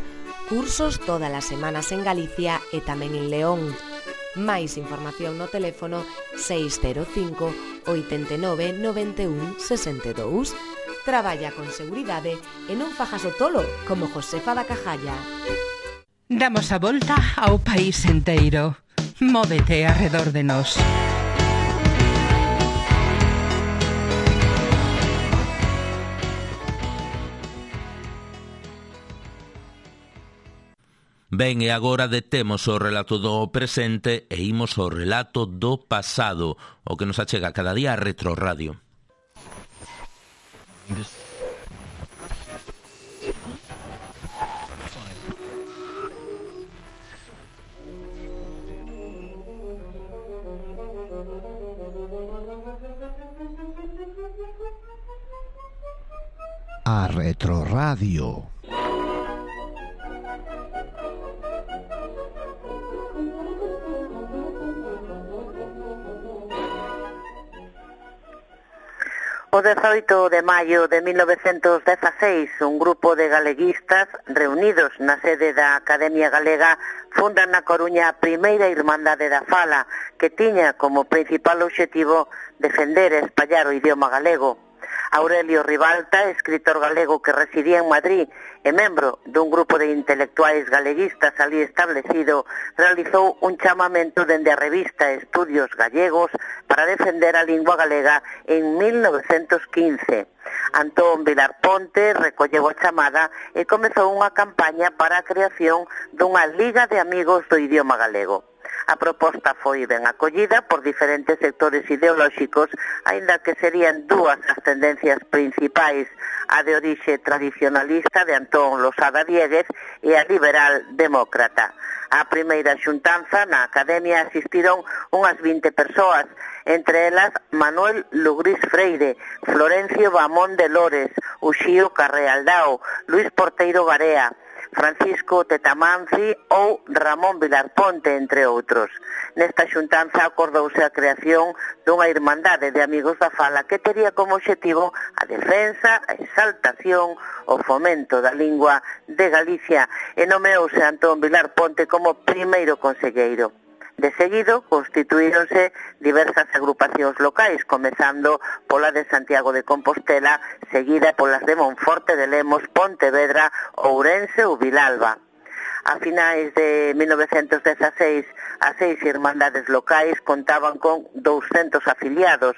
Cursos todas as semanas en Galicia e tamén en León. Máis información no teléfono 605 89 91 62. Traballa con seguridade e non fajas o tolo como Josefa da Cajalla. Damos a volta ao país enteiro. Móvete arredor de nós. Ben, e agora detemos o relato do presente e imos ao relato do pasado, o que nos achega cada día a Retro Radio. A Retro Radio. O 18 de maio de 1916, un grupo de galeguistas reunidos na sede da Academia Galega fundan na Coruña a primeira Irmandade da Fala, que tiña como principal obxectivo defender e espallar o idioma galego. Aurelio Ribalta, escritor galego que residía en Madrid e membro dun grupo de intelectuais galeguistas ali establecido, realizou un chamamento dende a revista Estudios Gallegos para defender a lingua galega en 1915. Antón Vilar Ponte recolleu a chamada e comezou unha campaña para a creación dunha Liga de Amigos do Idioma Galego. A proposta foi ben acollida por diferentes sectores ideolóxicos, aínda que serían dúas as tendencias principais, a de orixe tradicionalista de Antón Losada Dieguez e a liberal demócrata. A primeira xuntanza na Academia asistiron unhas 20 persoas, entre elas Manuel Lugrís Freire, Florencio Bamón de Lores, Uxío Carrealdao, Luis Porteiro Garea, Francisco Tetamanci ou Ramón Vilar Ponte, entre outros. Nesta xuntanza acordouse a creación dunha Irmandade de Amigos da Fala que tería como obxectivo a defensa, a exaltación, o fomento da lingua de Galicia e nomeouse Antón Vilar Ponte como primeiro conselleiro. De seguido, constituíronse diversas agrupacións locais, comezando pola de Santiago de Compostela, seguida polas de Monforte de Lemos, Pontevedra, Ourense ou Vilalba. A finais de 1916, as 6 irmandades locais contaban con 200 afiliados,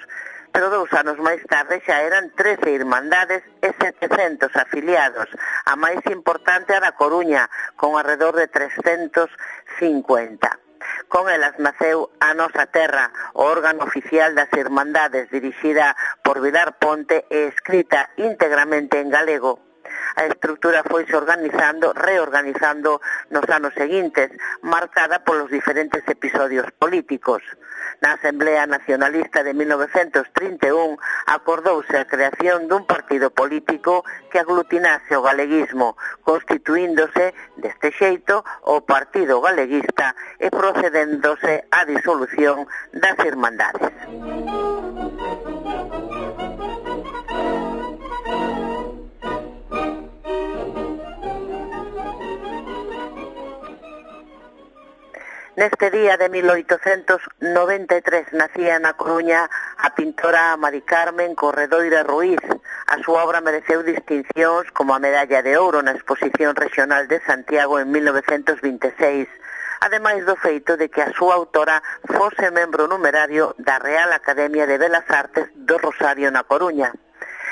pero 2 anos máis tarde xa eran 13 irmandades e 700 afiliados. A máis importante a da Coruña, con alrededor de 350. Con elas naceu A Nosa Terra, o órgano oficial das Irmandades, dirixida por Vilar Ponte e escrita íntegramente en galego. A estrutura foise reorganizando nos anos seguintes, marcada polos diferentes episodios políticos. Na Asamblea Nacionalista de 1931 acordouse a creación dun partido político que aglutinase o galeguismo, constituíndose deste xeito o Partido Galeguista e procedéndose á disolución das Irmandades. Neste día de 1893 nacía na Coruña a pintora Mari Carmen Corredoira Ruiz. A súa obra mereceu distincións como a Medalla de Ouro na Exposición Regional de Santiago en 1926, ademais do feito de que a súa autora fose membro numerario da Real Academia de Belas Artes do Rosario na Coruña.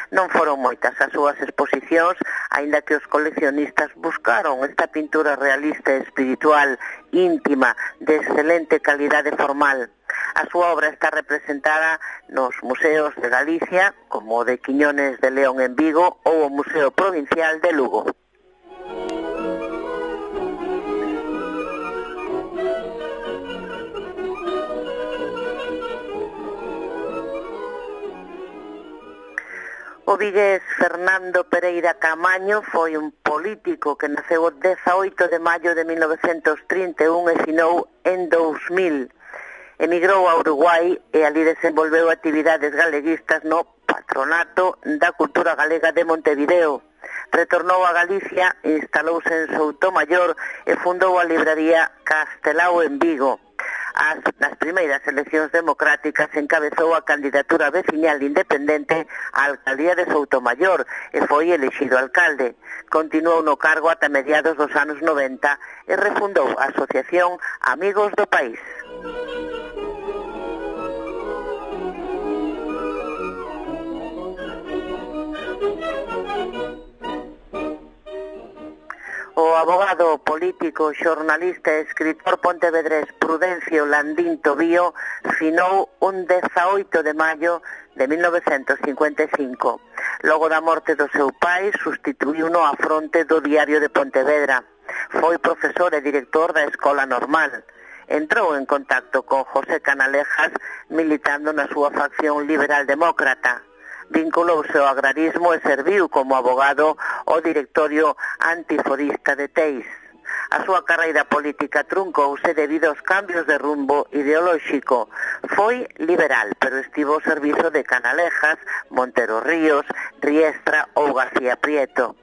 Non foron moitas as súas exposicións, aínda que os coleccionistas buscaron esta pintura realista e espiritual, íntima, de excelente calidade formal. A súa obra está representada nos museos de Galicia, como o de Quiñones de León en Vigo ou o Museo Provincial de Lugo. O vigués Fernando Pereira Camaño foi un político que naceu o 18 de maio de 1931 e finou en 2000. Emigrou a Uruguai e ali desenvolveu actividades galeguistas no Patronato da Cultura Galega de Montevideo. Retornou a Galicia, instalouse en Soutomaior e fundou a libraría Castelao en Vigo. Nas primeiras eleccións democráticas encabezou a candidatura veciñal independente á alcaldía de Soutomaior e foi elixido alcalde. Continuou no cargo ata mediados dos anos 90 e refundou a Asociación Amigos do País. O abogado político, xornalista e escritor pontevedrés Prudencio Landín Tobío finou un 18 de maio de 1955. Logo da morte do seu pai, sustituíuno á fronte do Diario de Pontevedra. Foi profesor e director da Escola Normal. Entrou en contacto con José Canalejas, militando na súa facción liberal-demócrata. Vinculouse ao agrarismo e serviu como abogado ao directorio antiforista de Teis. A súa carreira política truncouse debido aos cambios de rumbo ideolóxico. Foi liberal, pero estivo ao servizo de Canalejas, Montero Ríos, Riestra ou García Prieto.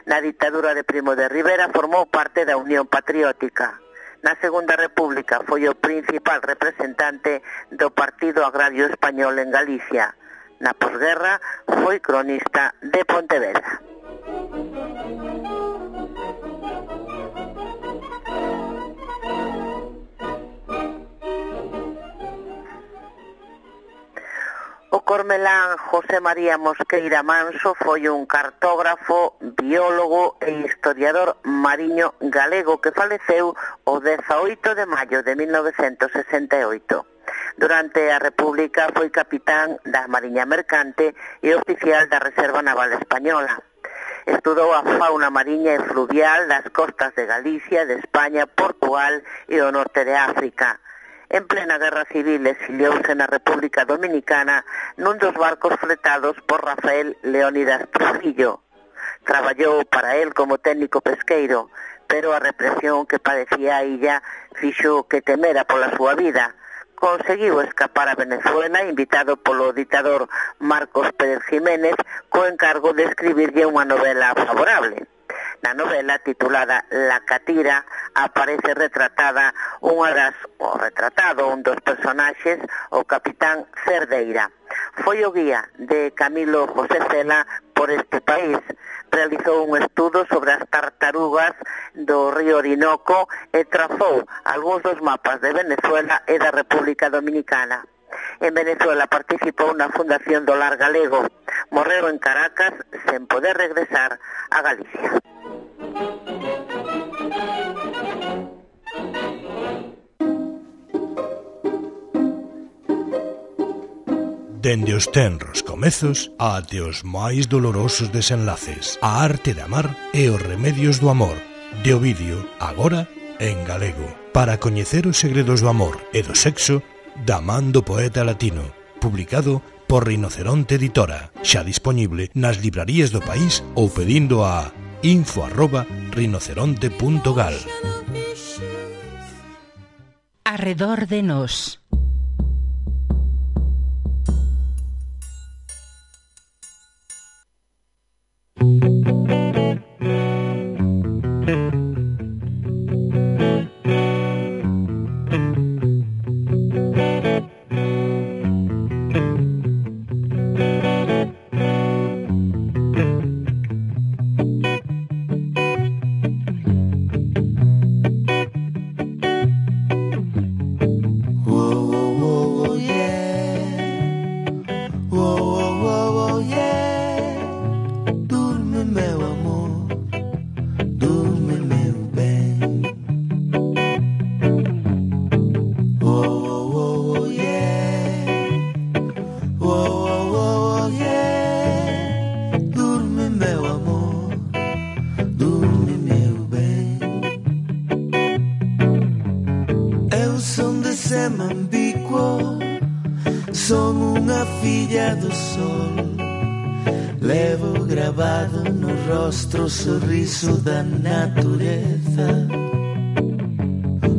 Na ditadura de Primo de Rivera formou parte da Unión Patriótica. Na Segunda República foi o principal representante do Partido Agrario Español en Galicia. Na posguerra foi cronista de Pontevedra. O cormelán José María Mosqueira Manso foi un cartógrafo, biólogo e historiador mariño galego que faleceu o 18 de maio de 1968. Durante a República foi capitán da Mariña Mercante e oficial da Reserva Naval Española. Estudou a fauna mariña e fluvial das costas de Galicia, de España, Portugal e o norte de África. En plena Guerra Civil exiliouse na República Dominicana nun dos barcos fletados por Rafael Leónidas Trujillo. Traballou para él como técnico pesqueiro, pero a represión que padecía a illa fixo que temera pola súa vida. Conseguiu escapar a Venezuela invitado polo ditador Marcos Pérez Jiménez co encargo de escribirlle unha novela favorable. Na novela titulada La Catira aparece retratado un dos personaxes, o capitán Cerdeira. Foi o guía de Camilo José Cela por este país. Realizou un estudo sobre as tartarugas do río Orinoco e trazou algúns dos mapas de Venezuela e da República Dominicana. En Venezuela participou na fundación do Lar Galego. Morreu en Caracas sen poder regresar a Galicia. Dende os tenros comezos até os máis dolorosos desenlaces. A arte de amar e os remedios do amor. De Ovidio, agora en galego. Para coñecer os segredos do amor e do sexo, da man do poeta latino. Publicado por Rinoceronte Editora. Xa dispoñible nas librarías do país ou pedindo a info@rinoceronte.gal. Arredor de nós. O sorriso da natureza,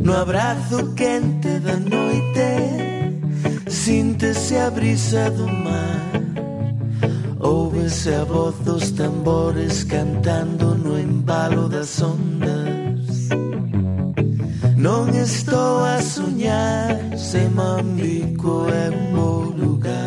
no abrazo quente da noite, síntese a brisa do mar, óuvese a voz dos tambores cantando no embalo das ondas. Non estou a soñar, se Mambico é un bo lugar.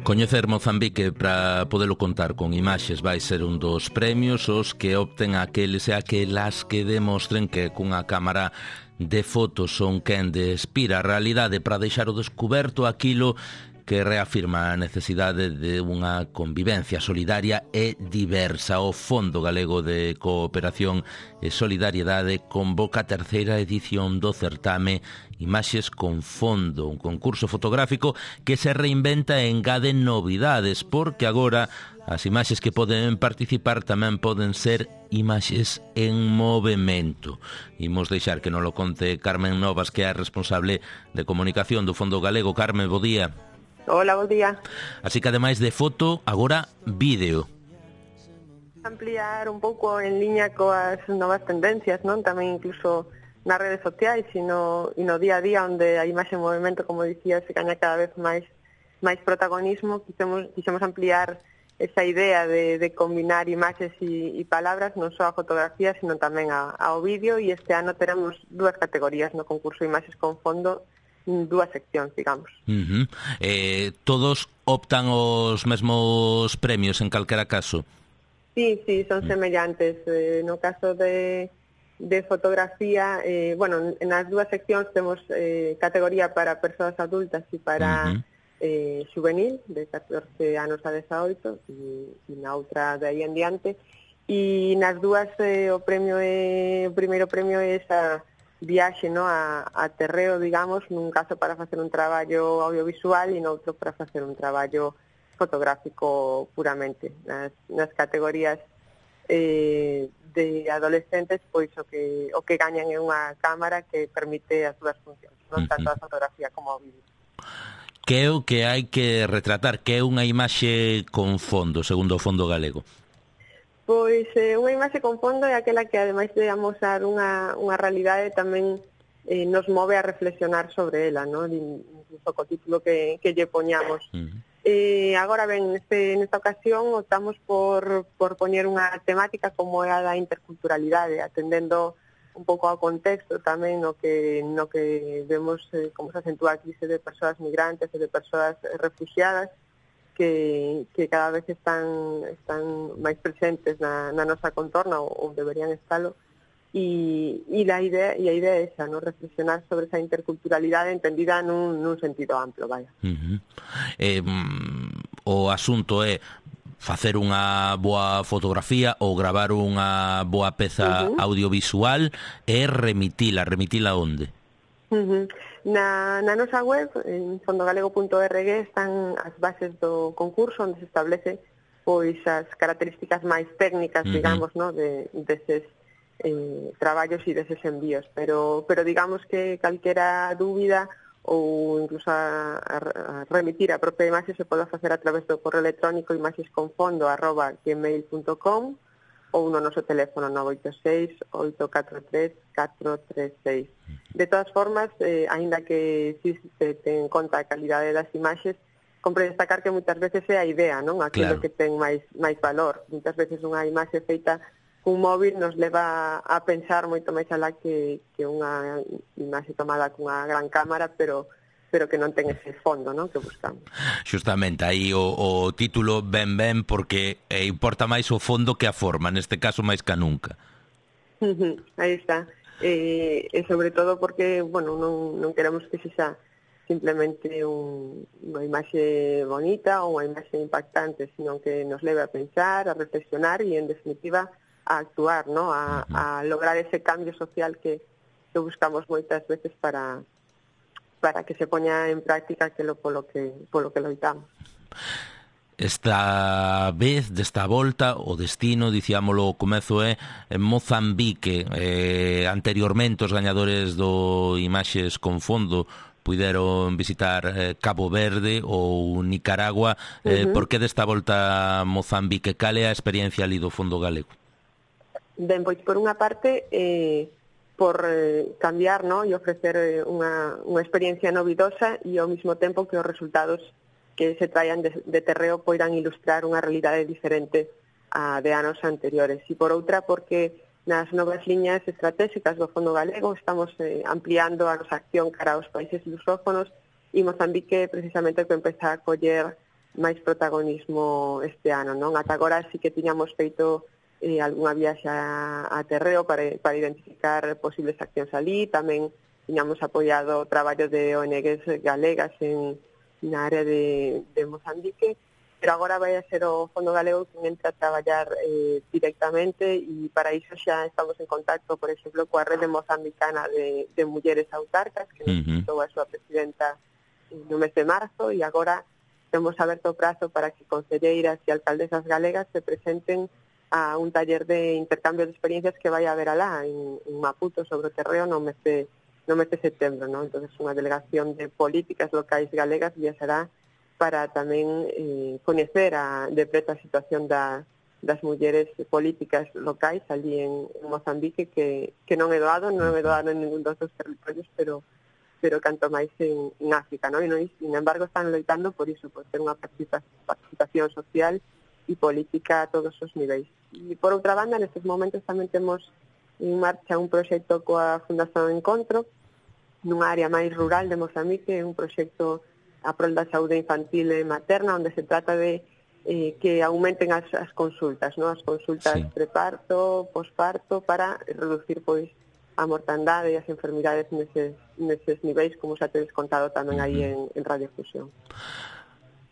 Coñecer Mozambique para podelo contar con imaxes vai ser un dos premios os que opten aqueles e aquelas que demostren que cunha cámara de fotos son quen despira a realidade para deixar o descuberto aquilo que reafirma a necesidade de unha convivencia solidaria e diversa. O Fondo Galego de Cooperación e Solidariedade convoca a terceira edición do certame Imaxes con Fondo, un concurso fotográfico que se reinventa e engade novidades, porque agora as imaxes que poden participar tamén poden ser imaxes en movimento. Imos deixar que nos lo conte Carmen Novas, que é a responsable de comunicación do Fondo Galego. Carmen, bo día. Hola, bo día. Así que ademais de foto, agora vídeo. Ampliar un pouco en liña coas novas tendencias, non? Tamén incluso nas redes sociais e no día a día, onde a imaxe en movimento, como dicía, se gaña cada vez máis protagonismo. Quixemos ampliar esa idea de combinar imaxes e palabras, non só a fotografía, sino tamén ao vídeo, e este ano teremos dúas categorías no concurso Imaxes con Fondo, dúas seccións, digamos. Todos optan os mesmos premios en calquera caso? Sí, son semellantes. No caso de fotografía, nas dúas seccións temos categoría para persoas adultas e para juvenil, de 14 anos a 18, e na outra de aí en diante. E nas dúas o primeiro premio é esa viaxe, no, a terreo, digamos, nun caso para facer un traballo audiovisual e noutro para facer un traballo fotográfico puramente. Nas categorías de adolescentes, pois o que gañan é unha cámara que permite as dúas funcións, non tanto a fotografía como o vídeo. Que é o que hai que retratar? Que é unha imaxe con fondo, segundo o Fondo Galego? Pois unha imaxe con fondo é aquela que, ademais de amosar unha realidade, tamén nos move a reflexionar sobre ela, non? Incluso co título que lle poñamos. Agora ben, nesta ocasión optamos por poñer unha temática como é a da interculturalidade, atendendo un pouco ao contexto tamén no que vemos como se acentúa a crise de persoas migrantes e de persoas refugiadas que cada vez están máis presentes na nosa contorna ou deberían estalo. E a idea é esa, ¿no? Reflexionar sobre esa interculturalidade entendida nun sentido amplo, vaya. O asunto é facer unha boa fotografía ou gravar unha boa peza audiovisual e remitila onde? Na nosa web, en fondogalego.org, están as bases do concurso onde se establece pois as características máis técnicas, digamos, ¿no? deses traballos e deses envíos, pero digamos que calquera dúbida ou incluso a remitir a propia imaxe se pode facer a través do correo electrónico imaxesconfondo@gmail.com ou no noso teléfono 986-843-436. De todas formas, aínda que si se ten en conta a calidade das imaxes, compre destacar que moitas veces é a idea, non? Aquilo que ten máis valor. Moitas veces unha imaxe feita un móvil nos leva a pensar moito máis alá que unha imaxe tomada cunha gran cámara, pero que non ten ese fondo, non, que buscamos. Justamente, aí o título ben porque importa máis o fondo que a forma, neste caso máis que nunca. Aí está. E sobre todo porque, bueno, non queremos que sexa simplemente unha imaxe bonita ou unha imaxe impactante, sino que nos leve a pensar, a reflexionar e, en definitiva, a actuar, ¿no? A lograr ese cambio social que buscamos moitas veces para que se poña en práctica aquilo polo que loitamos. Esta vez, desta volta, o destino, dicíamolo ao comezo, é Mozambique. Anteriormente os gañadores do Imaxes con Fondo puideron visitar Cabo Verde ou Nicaragua. Por que desta volta Mozambique? Cal é a experiencia ali do Fondo Galego? Ben, pois por unha parte por cambiar, ¿no? E ofrecer unha experiencia novidosa e ao mesmo tempo que os resultados que se traian de terreo poidan ilustrar unha realidade diferente a de anos anteriores. E por outra, porque nas novas liñas estratégicas do Fondo Galego estamos ampliando a nosa acción cara aos países lusófonos e Mozambique precisamente que empeza a coller máis protagonismo este ano, non? Ata agora sí que tiñamos feito algunha viaxe a terreo para identificar posibles accións ali. Tamén tiñamos apoiado o traballo de ONGs galegas na área de Mozambique, pero agora vai a ser o Fondo Galego que entra a traballar directamente e para iso xa estamos en contacto, por exemplo, coa Rede Mozambicana de Mulleres Autarcas, que nos visitou a súa presidenta no mes de marzo, e agora temos aberto o prazo para que concelleiras e alcaldesas galegas se presenten a un taller de intercambio de experiencias que vai a haber alá en Maputo sobre o terreo no mes de setembro, ¿no? Entonces unha delegación de políticas locais galegas viaxará para tamén coñecer de preto a situación das mulleres políticas locais ali en Mozambique, que non é doado en ningún dos territorios, pero canto máis en África, ¿no? E, sin embargo, están loitando por iso, por ter unha participación social e política a todos os niveis. E por outra banda, nestes momentos tamén temos en marcha un proxecto coa Fundación Encontro nunha área máis rural de Mozambique, un proxecto a prol da saúde infantil e materna, onde se trata de que aumenten as consultas, ¿no? As consultas preparto, posparto, para reducir pois a mortandade e as enfermidades neses niveis, como xa tedes contado tamén aí en Radiofusión.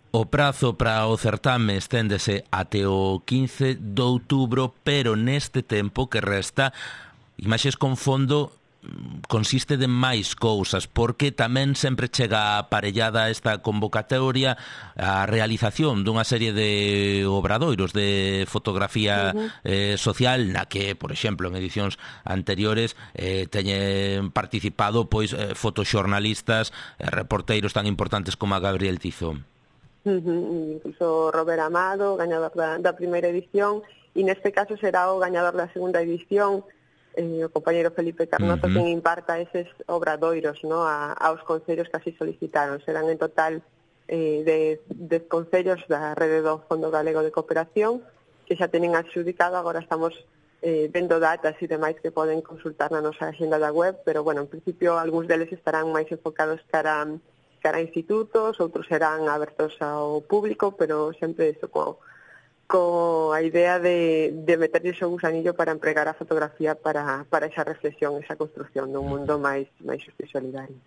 O prazo para o certame esténdese até o 15 de outubro, pero neste tempo que resta, Imaxes con Fondo consiste de máis cousas, porque tamén sempre chega aparellada esta convocatoria a realización dunha serie de obradoiros de fotografía social, na que, por exemplo, en edicións anteriores teñen participado pois fotoxornalistas, reporteiros tan importantes como a Gabriel Tizón. Incluso Robert Amado, gañador da primeira edición, e neste caso será o gañador da segunda edición, o compañeiro Felipe Carnoto, quen imparta eses obradoiros, ¿no? aos concellos que así solicitaron. Serán en total 10 concellos da rede do Fondo Galego de Cooperación que xa teñen adxudicado. Agora estamos vendo datas e demais que poden consultar na nosa agenda da web, pero, bueno, en principio, algúns deles estarán máis enfocados cara a institutos, outros serán abertos ao público, pero sempre iso a idea de meterlle o gusanillo para empregar a fotografía para esa reflexión, esa construción dun mundo máis xusto e solidario.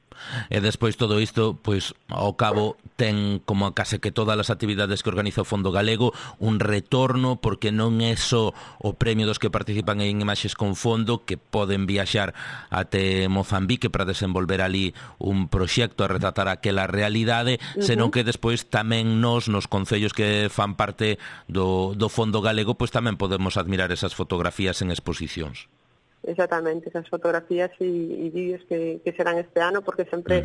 E despois todo isto, pois, ao cabo, ten como case que todas as actividades que organiza o Fondo Galego un retorno, porque non é só o premio dos que participan en Imaxes con Fondo, que poden viaxar até Mozambique para desenvolver ali un proxecto a retratar aquela realidade, senón que despois tamén nos concellos que fan parte do Fondo Galego, pois tamén podemos admirar esas fotografías en exposicións. Exactamente, esas fotografías e vídeos que serán este ano, porque sempre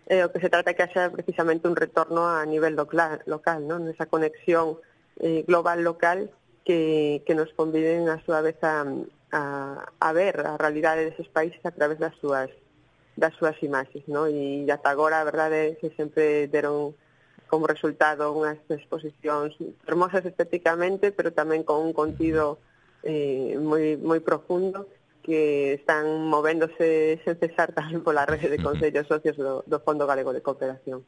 o que se trata é que haxa precisamente un retorno a nivel local, non? Esa conexión global local que nos conviden a súa vez a ver a realidade deses países a través das súas imaxes, non? E ata agora a verdade é que sempre deron como resultado unhas exposicións hermosas estéticamente, pero tamén con un contido moi profundo, que están movéndose sen cesar tamén pola rede de concellos socios do Fondo Galego de Cooperación.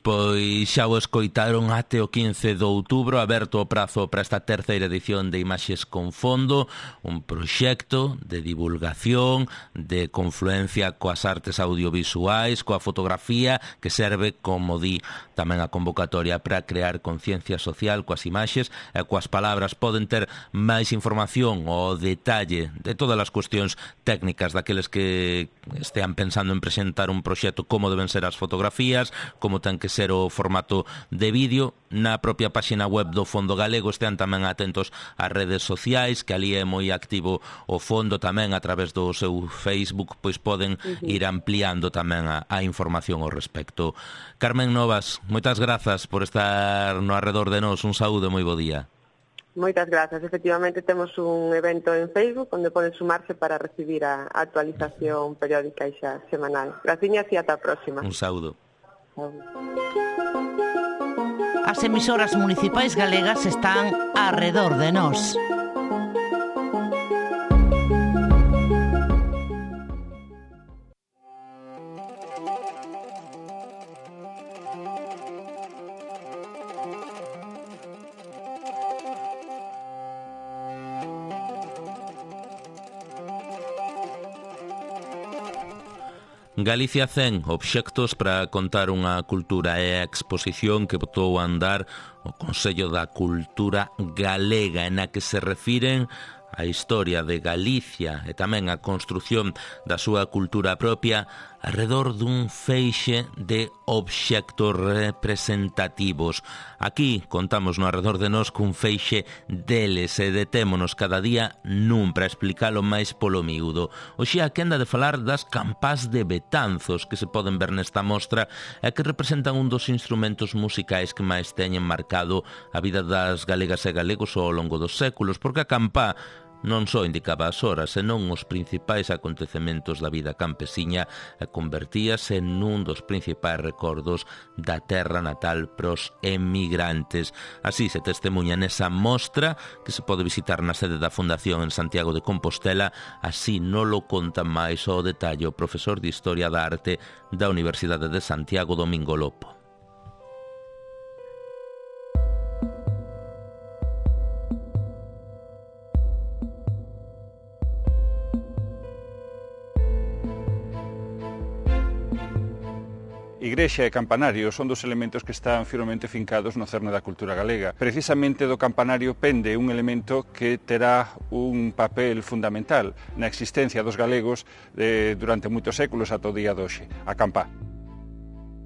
Pois xa o escoitaron até o 15 de outubro, aberto o prazo para esta terceira edición de Imaxes con Fondo, un proxecto de divulgación, de confluencia coas artes audiovisuais, coa fotografía, que serve, como di tamén a convocatoria, para crear conciencia social coas imaxes e coas palabras. Poden ter máis información o detalle de todas as cuestións técnicas daqueles que estean pensando en presentar un proxecto, como deben ser as fotografías, como ten que ser o formato de vídeo, na propia páxina web do Fondo Galego. Estean tamén atentos ás redes sociais, que ali é moi activo o Fondo tamén a través do seu Facebook, pois poden ir ampliando tamén a información ao respecto. Carmen Novas, moitas grazas por estar no arredor de nós. Un saúdo e moi bo día. Moitas grazas. Efectivamente, temos un evento en Facebook onde poden sumarse para recibir a actualización periódica e xa semanal. Graciñas e ata a próxima. Un saúdo. As emisoras municipais galegas están arredor de nós. Galicia 100, obxectos para contar unha cultura, é a exposición que botou a andar o Consello da Cultura Galega, na que se refiren a historia de Galicia e tamén a construción da súa cultura propia arredor dun feixe de obxectos representativos. Aquí contamos no arredor de nós cun feixe deles e detémonos cada día nun para explicalo máis polo miúdo. Hoxe a quenda de falar das campás de Betanzos que se poden ver nesta mostra e que representan un dos instrumentos musicais que máis teñen marcado a vida das galegas e galegos ao longo dos séculos, porque a campá non só indicaba as horas, senón os principais acontecementos da vida campesiña e convertíase nun dos principais recordos da terra natal pros emigrantes. Así se testemunha nesa mostra que se pode visitar na sede da Fundación en Santiago de Compostela. Así non lo conta máis ao detalle o profesor de Historia da Arte da Universidade de Santiago, Domingo Lopo. Igrexa e campanario son dos elementos que están firmemente fincados no cerne da cultura galega. Precisamente do campanario pende un elemento que terá un papel fundamental na existencia dos galegos durante moitos séculos ata o día de hoxe, a campá.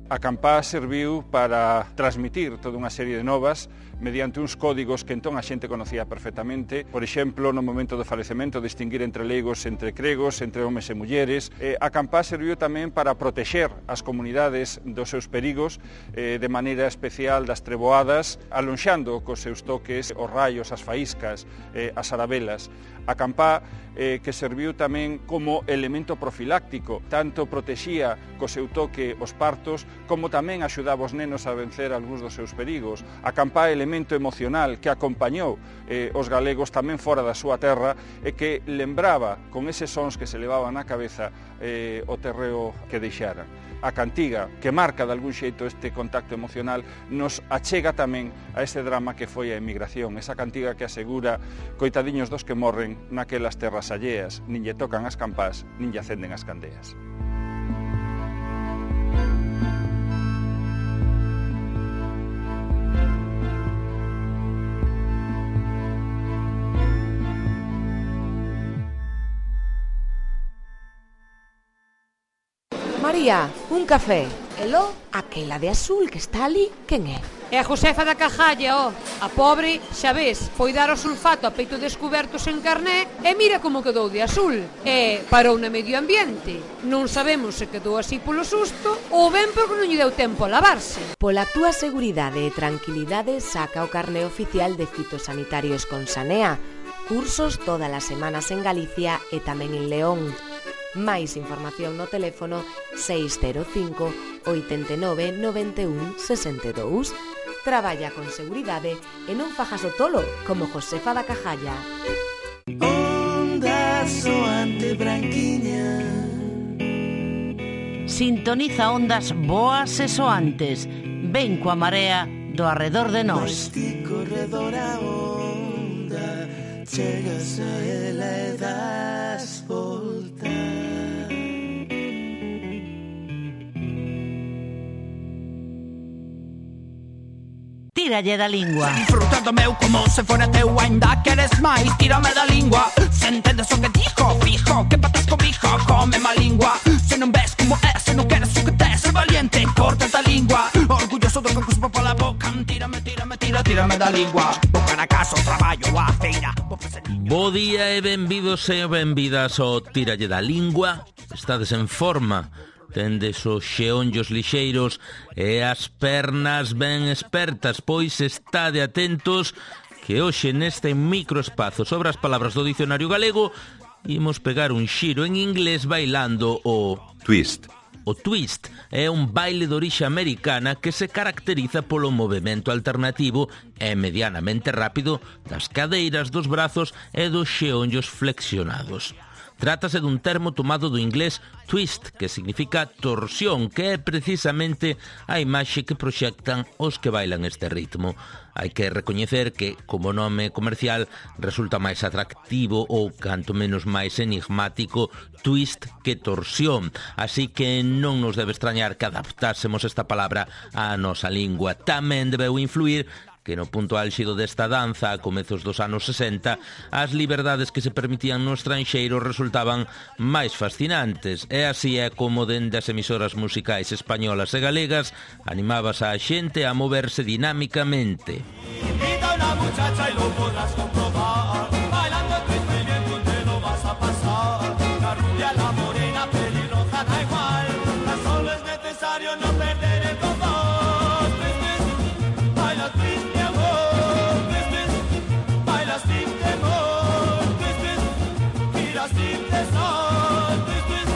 A campá serviu para transmitir toda unha serie de novas mediante uns códigos que entón a xente conocía perfectamente. Por exemplo, no momento do falecemento, distinguir entre leigos, entre cregos, entre homes e mulleres. A campá serviu tamén para protexer as comunidades dos seus perigos, de maneira especial das treboadas, alonxando cos seus toques os raios, as faíscas, as arabelas. A campá que serviu tamén como elemento profiláctico, tanto protexía co seu toque os partos como tamén axudaba os nenos a vencer algúns dos seus perigos. A campá é elemento emocional que acompañou os galegos tamén fora da súa terra e que lembraba con eses sons que se levaban na cabeza o terreo que deixara. A cantiga, que marca de algún xeito este contacto emocional, nos achega tamén a este drama que foi a emigración. Esa cantiga que asegura: coitadiños dos que morren naquelas terras alleas, nin lle tocan as campás, nin lle acenden as candeas. María, un café. Elo, aquela de azul que está ali, quen é? É a Josefa da Cajalla, A pobre, xa ves, foi dar o sulfato a peito descubertos en Carné e mira como quedou de azul. E parou na medio ambiente. Non sabemos se quedou así polo susto ou ben porque non lle deu tempo a lavarse. Pola túa seguridade e tranquilidade, saca o carné oficial de fitosanitarios con Sanea. Cursos todas as semanas en Galicia e tamén en León. Máis información no teléfono 605 89 91 62. Traballa con seguridade e non fajas o tolo como Josefa da Cajalla. Onda soante branquiña. Sintoniza ondas boas e soantes. Ven coa marea do arredor de nós. Corredor a onda, chegas a ela e das volta. Tíralle da lingua. Disfruta do meu como se fora teu, ainda queres máis, tírame da lingua. Se entendes o que dijo, fijo, que patas cobijo, come má lingua. Se non ves como é, se non queres o que tes, ser valiente, corta da lingua. Orgulloso do que cuspo pola boca, tírame da lingua. Boca na casa, o traballo, a feira. Bo día e benvidos e benvidas ao Tíralle da Lingua. Estades en forma? Tendes os xeonllos lixeiros e as pernas ben espertas, pois estade atentos que hoxe neste microespazo sobre as palabras do dicionario galego imos pegar un xiro en inglés bailando o twist. O twist é un baile de orixe americana que se caracteriza polo movimento alternativo e medianamente rápido das cadeiras, dos brazos e dos xeonllos flexionados. Trátase dun termo tomado do inglés twist, que significa torsión, que é precisamente a imaxe que proxectan os que bailan este ritmo. Hai que recoñecer que, como nome comercial, resulta máis atractivo ou, canto menos, máis enigmático twist que torsión. Así que non nos debe extrañar que adaptásemos esta palabra á nosa lingua. Tamén debeu influir que no punto álxido desta danza, a comezos dos anos 60, as liberdades que se permitían no estranxeiro resultaban máis fascinantes. E así é como dende as emisoras musicais españolas e galegas animabas a xente a moverse dinámicamente. Invita a una muchacha y lo podrás comprobar. Bailando twist muy bien, tú te lo vas a pasar. La rubia, la morena, pelirroja, da igual. Tan solo es necesario no perder el compás. Twist, twist, baila twist, mi amor. Twist, twist, baila sin temor. Twist, twist, mira sin cesar. Twist, twist,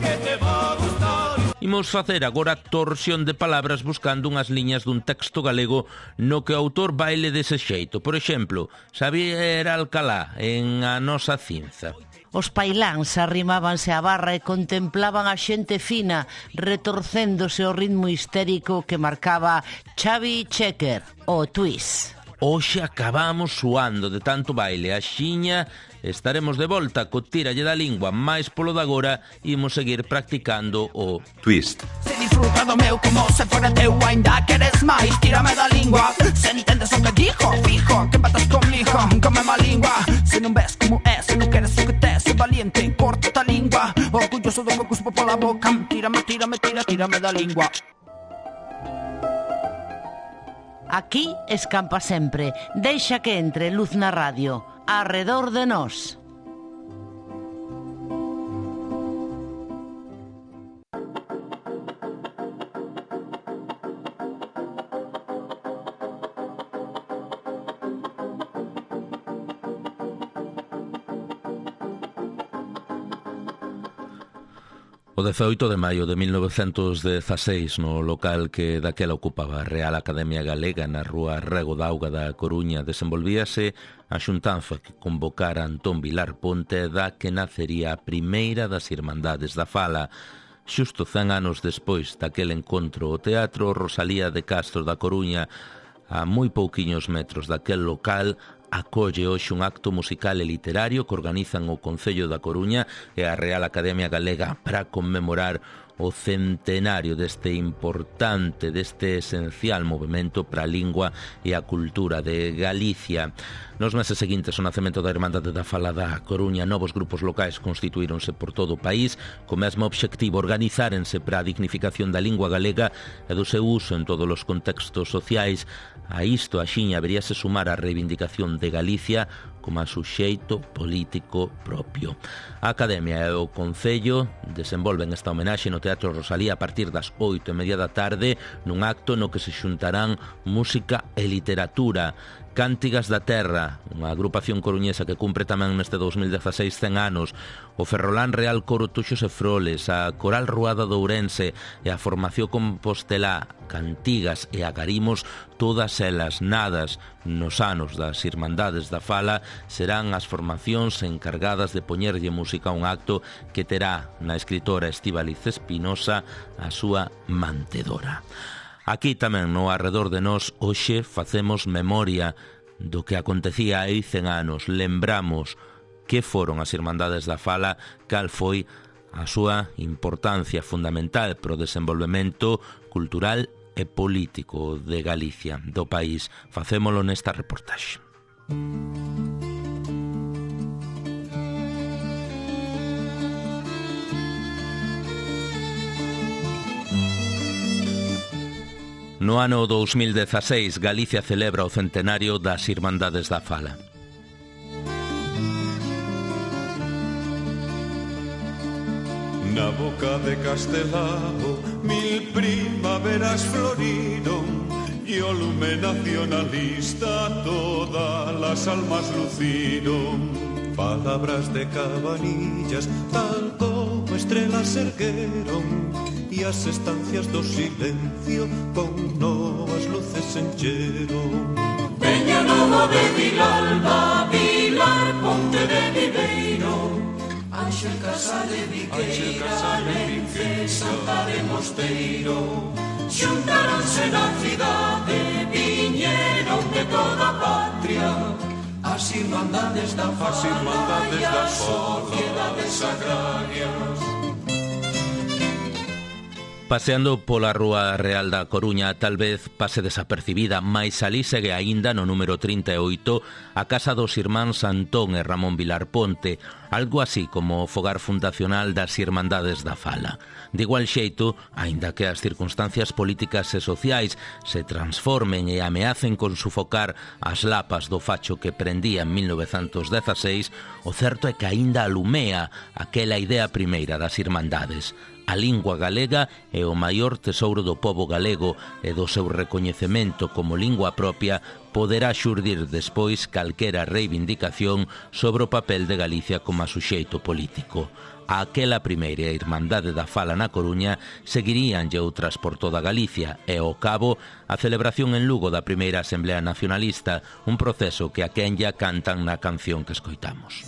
que te va a gustar. Imos facer agora torsión de palabras buscando unhas liñas dun texto galego no que o autor baile dese xeito. Por exemplo, Xavier Alcalá en A nosa cinza. Os pailáns arrimábanse á barra e contemplaban a xente fina retorcéndose ao ritmo histérico que marcaba Xavi Checker, o twist. Hoxe acabamos suando de tanto baile. Axiña estaremos de volta co Tíralle da Lingua, máis polo de agora imos seguir practicando o twist. Se disfruta do meu como se fora teu, ainda queres máis, tírame da lingua. Se entendes o que dijo, fijo, que patas comigo, come má lingua. Se non ves como é, se non queres o que tes, ser valiente, corta da lingua. Orgulloso do que cuspo pola boca, tírame da lingua. Aquí escampa sempre. Deixa que entre luz na radio. Arredor de nós. O 18 de maio de 1916, no local que daquela ocupaba a Real Academia Galega na rúa Rego da Auga da Coruña, desenvolvíase a xuntanza que convocara Antón Vilar Ponte da que nacería a primeira das Irmandades da Fala. Xusto 100 anos despois daquele encontro, o Teatro Rosalía de Castro da Coruña, a moi pouquiños metros daquel local, acolle hoxe un acto musical e literario que organizan o Concello da Coruña e a Real Academia Galega para conmemorar o centenario deste importante, deste esencial movimento para a lingua e a cultura de Galicia. Nos meses seguintes, o nacemento da Irmandade da Fala da Coruña, novos grupos locais constituíronse por todo o país, co mesmo obxectivo, organizárense para a dignificación da lingua galega e do seu uso en todos os contextos sociais. A isto, axiña, veríase sumar a reivindicación de Galicia como a suxeito político propio. A Academia e o Concello desenvolven esta homenaxe no Teatro Rosalía a partir das 8:30 da tarde, nun acto no que se xuntarán música e literatura. Cántigas da Terra, unha agrupación coruñesa que cumpre tamén neste 2016 100 anos, o Ferrolán Real Coro Tuxos e Froles, a Coral Ruada de Ourense e a Formación Compostelá, Cantigas e Agarimos, todas elas nadas nos anos das Irmandades da Fala, serán as formacións encargadas de poñerlle música a un acto que terá na escritora Estíbaliz Espinosa a súa mantedora. Aquí tamén, no arredor de nós, hoxe facemos memoria do que acontecía hai 100 anos. Lembramos que foron as Irmandades da Fala, cal foi a súa importancia fundamental para o desenvolvemento cultural e político de Galicia, do país. Facémolo nesta reportaxe. No ano 2016, Galicia celebra o centenario das Irmandades da Fala. Na boca de Castelao, 1000 primaveras floriron e o lume nacionalista todas as almas luciron. Palabras de Cabanillas, tal como estrelas ergueron e as estancias do silencio con novas luces encheron. Peña Nova de Vilalba, Vilar Ponte de Viveiro, Ángel Casale Viqueira, Lence, Santa de Mosteiro. Xuntaronse na cidade, viñeron de toda a patria, as Irmandades da Fala e as sociedades agrarias. Paseando pola Rúa Real da Coruña, tal vez pase desapercibida, mais alí segue aínda no número 38 a casa dos irmáns Antón e Ramón Vilar Ponte, algo así como o fogar fundacional das Irmandades da Fala. De igual xeito, aínda que as circunstancias políticas e sociais se transformen e ameacen con sufocar as lapas do facho que prendía en 1916, o certo é que aínda alumea aquela idea primeira das Irmandades. A lingua galega é o maior tesouro do pobo galego e do seu recoñecemento como lingua propia poderá xurdir despois calquera reivindicación sobre o papel de Galicia como a suxeito político. A aquela primeira Irmandade da Fala na Coruña seguiríanlle outras por toda Galicia e, ao cabo, a celebración en Lugo da primeira Asamblea Nacionalista, un proceso que a Quenya cantan na canción que escoitamos.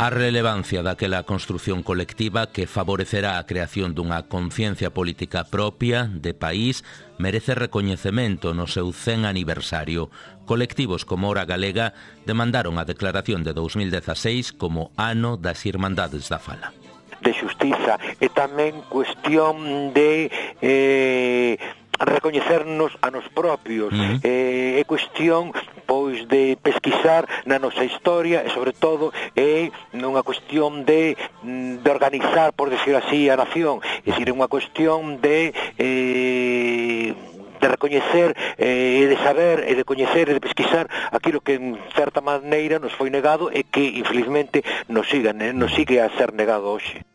A relevancia daquela construción colectiva que favorecerá a creación dunha conciencia política propia de país merece recoñecemento no seu 100 aniversario. Colectivos como Hora Galega demandaron a declaración de 2016 como ano das Irmandades da Fala. De xustiza e tamén cuestión de recoñecernos a nos propios, é cuestión pois de pesquisar na nosa historia e sobre todo é unha cuestión de organizar, por decir así, a nación, é dicir, é unha cuestión de recoñecer e de saber e de coñecer e de pesquisar aquilo que en certa maneira nos foi negado e que infelizmente nos sigue a ser negado hoxe.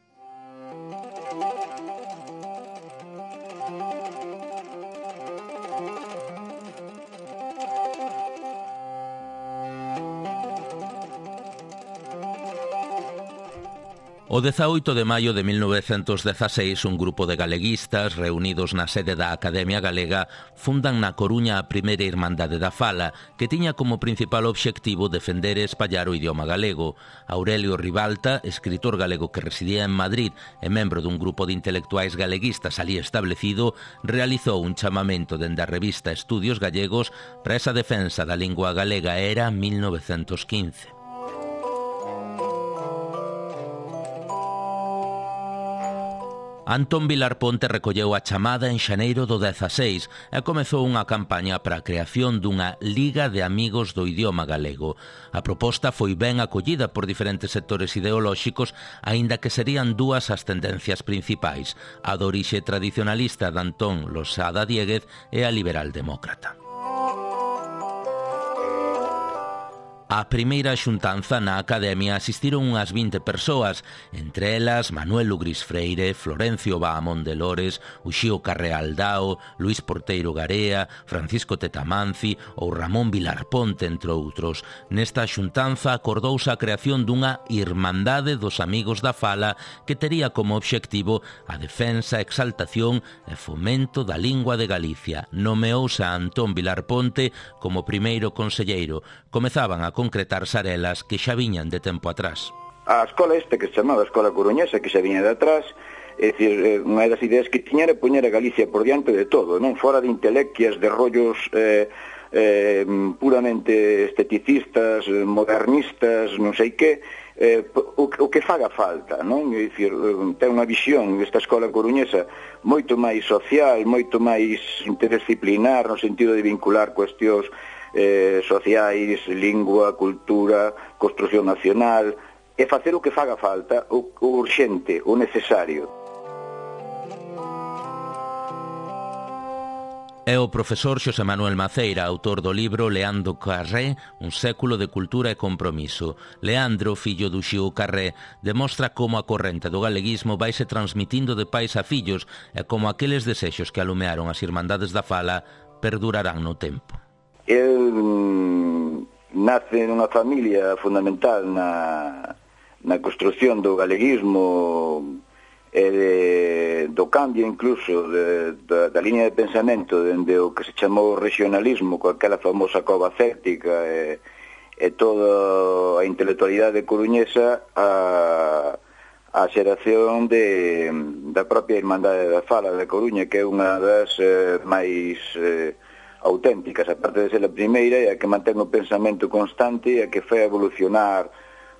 O 18 de maio de 1916, un grupo de galeguistas reunidos na sede da Academia Galega fundan na Coruña a primeira Irmandade da Fala, que tiña como principal obxectivo defender e espallar o idioma galego. Aurelio Ribalta, escritor galego que residía en Madrid e membro dun grupo de intelectuais galeguistas alí establecido, realizou un chamamento dende a revista Estudios Gallegos para esa defensa da lingua galega. Era 1915. Antón Vilar Ponte recolleu a chamada en xaneiro do 16 e comezou unha campaña para a creación dunha Liga de Amigos do Idioma Galego. A proposta foi ben acollida por diferentes sectores ideolóxicos, aínda que serían dúas as tendencias principais, a do orixe tradicionalista de Antón Losada Diéguez e a liberal demócrata. A primeira xuntanza na Academia asistiron unhas 20 persoas, entre elas Manuel Ugris Freire, Florencio Bahamón de Lores, Uxío Carré Aldao, Luís Porteiro Garea, Francisco Tetamanci ou Ramón Vilar Ponte, entre outros. Nesta xuntanza acordouse a creación dunha Irmandade dos Amigos da Fala que tería como obxectivo a defensa, exaltación e fomento da lingua de Galicia. Nomeouse a Antón Vilar Ponte como primeiro conselleiro. Comezaban a concretarse arelas que xa viñan de tempo atrás. A escola esta que se chamaba Escola Coruñesa, que xa viña de atrás, é dicir, unha das ideas que tiña era poñer a Galicia por diante de todo, non fora de intelequias, de rollos puramente esteticistas, modernistas, non sei que, o que faga falta, non? É dicir, ten unha visión desta Escola Coruñesa moito máis social, moito máis interdisciplinar, no sentido de vincular cuestións sociais, lingua, cultura, construción nacional, e facer o que faga falta, o urxente, o necesario. É o profesor Xosé Manuel Maceira, autor do libro Leandro Carré, un século de cultura e compromiso. Leandro, fillo do Uxío Carré, demostra como a corrente do galeguismo vaise transmitindo de pais a fillos e como aqueles desexos que alumearon as Irmandades da Fala perdurarán no tempo. El nace nunha familia fundamental na construción do galeguismo e do cambio incluso da liña de pensamento dende o que se chamou regionalismo, con aquela famosa cova céltica e toda a intelectualidade coruñesa a xeración da propia Irmandade da Fala da Coruña, que é unha das máis auténticas, aparte de ser a primeira, e a que mantén o pensamento constante e a que fai evolucionar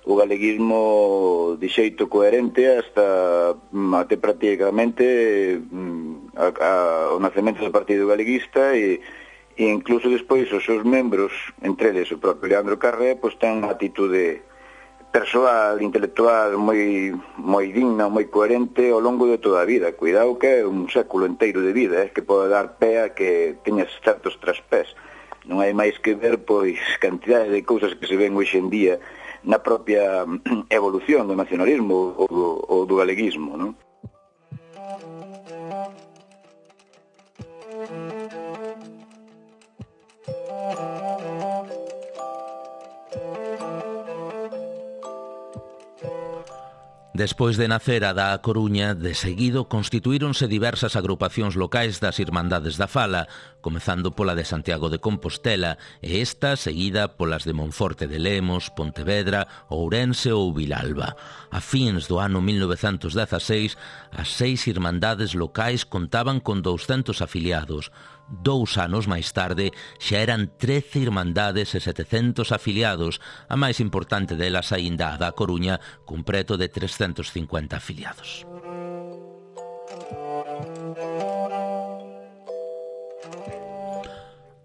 o galeguismo de xeito coherente até prácticamente o nacemento do Partido Galeguista e incluso despois os seus membros, entre eles o propio Leandro Carré, pois ten unha atitude persoal, intelectual moi digna, moi coherente ao longo de toda a vida. Cuidado que é un século inteiro de vida, que pode dar pé a que teñas certos traspés. Non hai máis que ver, pois, cantidade de cousas que se ven hoxe en día na propia evolución do nacionalismo ou do galeguismo, non? Despois de nacer a da Coruña, de seguido constituíronse diversas agrupacións locais das Irmandades da Fala, comezando pola de Santiago de Compostela e esta seguida polas de Monforte de Lemos, Pontevedra, Ourense ou Vilalba. A fins do ano 1916, as 6 irmandades locais contaban con 200 afiliados. 2 anos máis tarde xa eran 13 irmandades e 700 afiliados, a máis importante delas aínda a da Coruña, cun preto de 350 afiliados.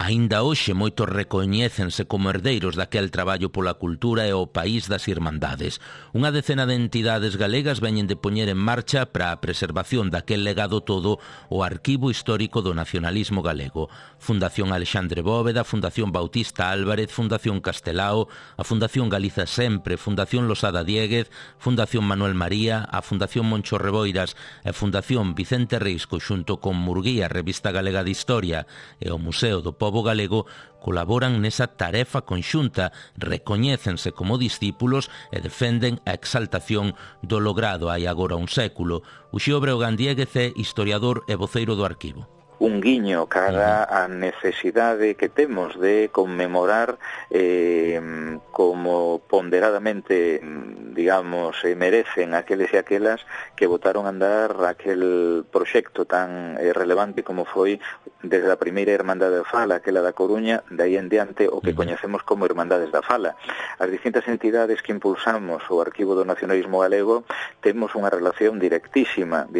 Aínda hoxe moitos recoñécense como herdeiros daquel traballo pola cultura e o país das Irmandades. Unha decena de entidades galegas veñen de poñer en marcha para a preservación daquel legado todo o Arquivo Histórico do Nacionalismo Galego. Fundación Alexandre Bóveda, Fundación Bautista Álvarez, Fundación Castelao, a Fundación Galiza Sempre, Fundación Losada Diéguez, Fundación Manuel María, a Fundación Moncho Reboiras e Fundación Vicente Risco xunto con Murguía, Revista Galega de Historia e o Museo do Pobo pobo galego colaboran nesa tarefa conxunta, recoñécense como discípulos e defenden a exaltación do logrado hai agora un século. Uxío Breogán Diéguez é historiador e voceiro do arquivo. Un guiño cara a necesidade que temos de conmemorar como ponderadamente, digamos, merecen aqueles e aquelas que botaron a andar aquel proxecto tan relevante como foi desde a primeira Irmandade da Fala, aquela da Coruña, de aí en diante o que coñecemos como Irmandades da Fala. As distintas entidades que impulsamos o Arquivo do Nacionalismo Galego temos unha relación directísima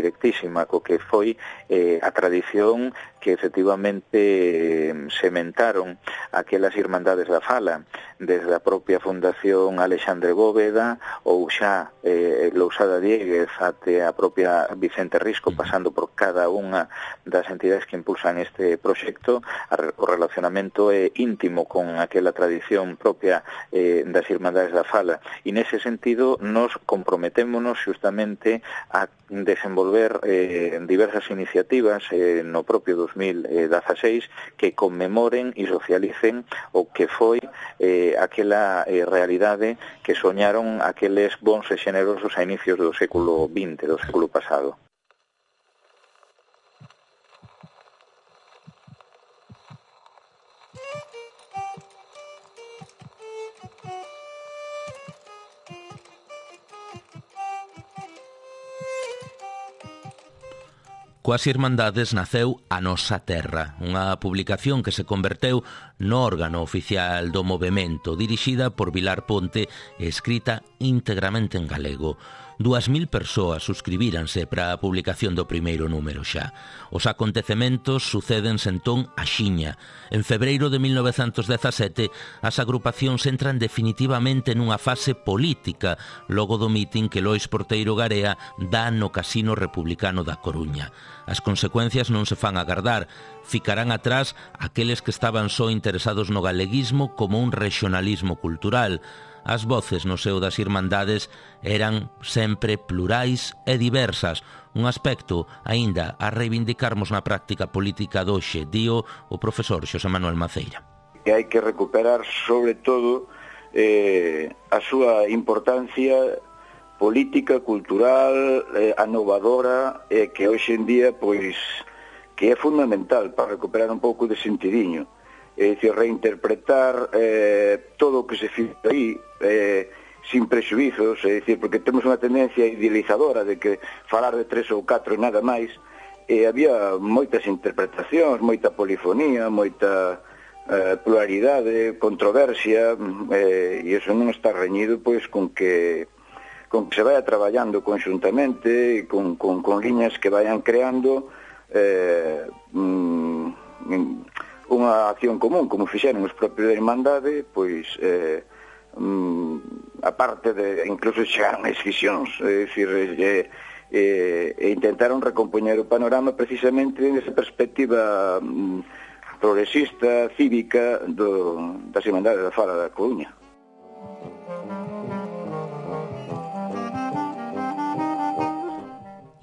co que foi a tradición que efectivamente sementaron aquelas Irmandades da Fala, desde a propia Fundación Alexandre Bóveda ou xa Lousada Diéguez até a propia Vicente Risco, pasando por cada unha das entidades que impulsan este proxecto. O relacionamento é íntimo con aquela tradición propia das Irmandades da Fala, e nese sentido nos comprometémonos justamente a desenvolver diversas iniciativas no propio 2016 que conmemoren e socialicen o que foi aquela realidade que soñaron aqueles bons e xenerosos a inicios do século XX, do século pasado. Coas Irmandades naceu A Nosa Terra, unha publicación que se converteu no órgano oficial do movemento, dirixida por Vilar Ponte e escrita íntegramente en galego. 2.000 persoas suscribíranse para a publicación do primeiro número xa. Os acontecementos sucédense entón axiña. En febreiro de 1917, as agrupacións entran definitivamente nunha fase política, logo do mitin que Lois Porteiro Garea dá no Casino Republicano da Coruña. As consecuencias non se fan agardar. Ficarán atrás aqueles que estaban só interesados no galeguismo como un regionalismo cultural. As voces no seo das Irmandades eran sempre plurais e diversas, un aspecto aínda a reivindicarmos na práctica política doxe, dío o profesor Xosé Manuel Maceira. Que hai que recuperar, sobre todo, a súa importancia política, cultural, anovadora, que hoxe en día, pois, que é fundamental para recuperar un pouco de sentidiño. É dicir, reinterpretar todo o que se fica aí sin prexuizos, é dicir, porque temos unha tendencia idealizadora de que falar de 3 ou 4 e nada máis, e había moitas interpretacións, moita polifonía, moita pluralidade, controversia, e iso non está reñido pois con que se vaya traballando conxuntamente, con liñas que vayan creando unha acción común, como fixeron os propios da Irmandade, pois a parte de incluso chegaron a escisións, é dicir, intentaron recompoñer o panorama precisamente nesa perspectiva progresista, cívica das Irmandades da Fala da Coruña.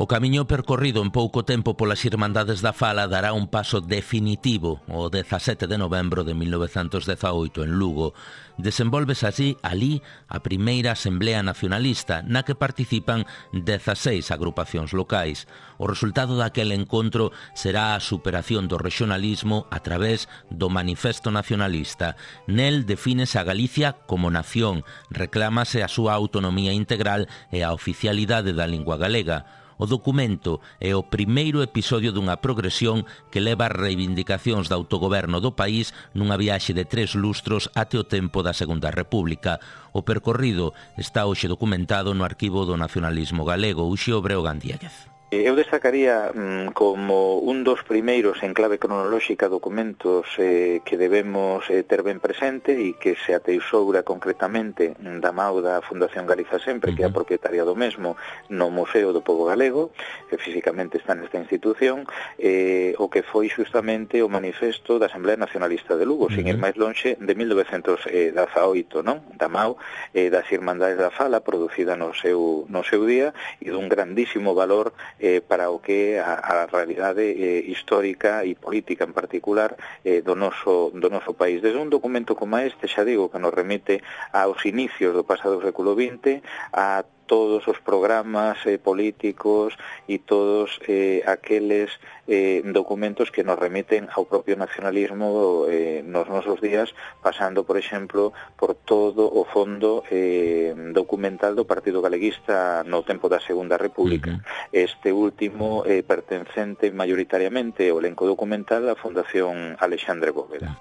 O camiño percorrido en pouco tempo polas Irmandades da Fala dará un paso definitivo o 17 de novembro de 1918 en Lugo. Desenvolves alí a primeira Asamblea Nacionalista na que participan 16 agrupacións locais. O resultado daquele encontro será a superación do regionalismo a través do Manifesto Nacionalista. Nel defínese a Galicia como nación, reclámase a súa autonomía integral e a oficialidade da lingua galega. O documento é o primeiro episodio dunha progresión que leva as reivindicacións do autogoberno do país nunha viaxe de 3 lustros até o tempo da Segunda República. O percorrido está hoxe documentado no Arquivo do Nacionalismo Galego, Uxío Breogán Diéguez. Eu destacaría como un dos primeiros en clave cronolóxica documentos que debemos ter ben presente e que se atesoura concretamente da mao da Fundación Galiza Sempre, que é a propietaria do mesmo, no Museo do Pobo Galego, que físicamente está nesta institución, o que foi justamente o manifesto da Asamblea Nacionalista de Lugo, sin ir máis lonxe, de 1918, non? Da mao das Irmandades da Fala, producida no seu día, e dun grandísimo valor para o que a realidade histórica e política en particular do noso país. Desde un documento como este, xa digo, que nos remite aos inicios do pasado século XX, a todos os programas políticos e todos aqueles documentos que nos remiten ao propio nacionalismo nos nosos días, pasando, por exemplo, por todo o fondo documental do Partido Galeguista no tempo da Segunda República. Este último pertencente maioritariamente ao elenco documental da Fundación Alexandre Bóveda.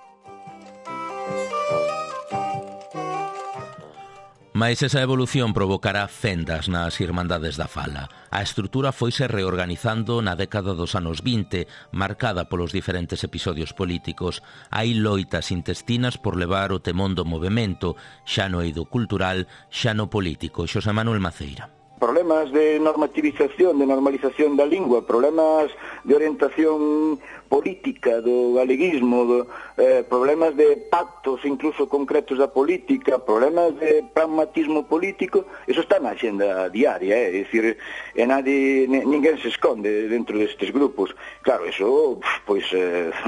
Mais esa evolución provocará fendas nas Irmandades da Fala. A estrutura foise reorganizando na década dos anos 20, marcada polos diferentes episodios políticos. Hai loitas intestinas por levar o temón do movemento, xa no eido cultural, xa no político. Xosé Manuel Maceira. Problemas de normativización, de normalización da lingua, problemas de orientación política do galeguismo, problemas de pactos incluso concretos da política, problemas de pragmatismo político, eso está na axenda diaria, é dicir, ninguén se esconde dentro destes grupos. Claro, eso, pois,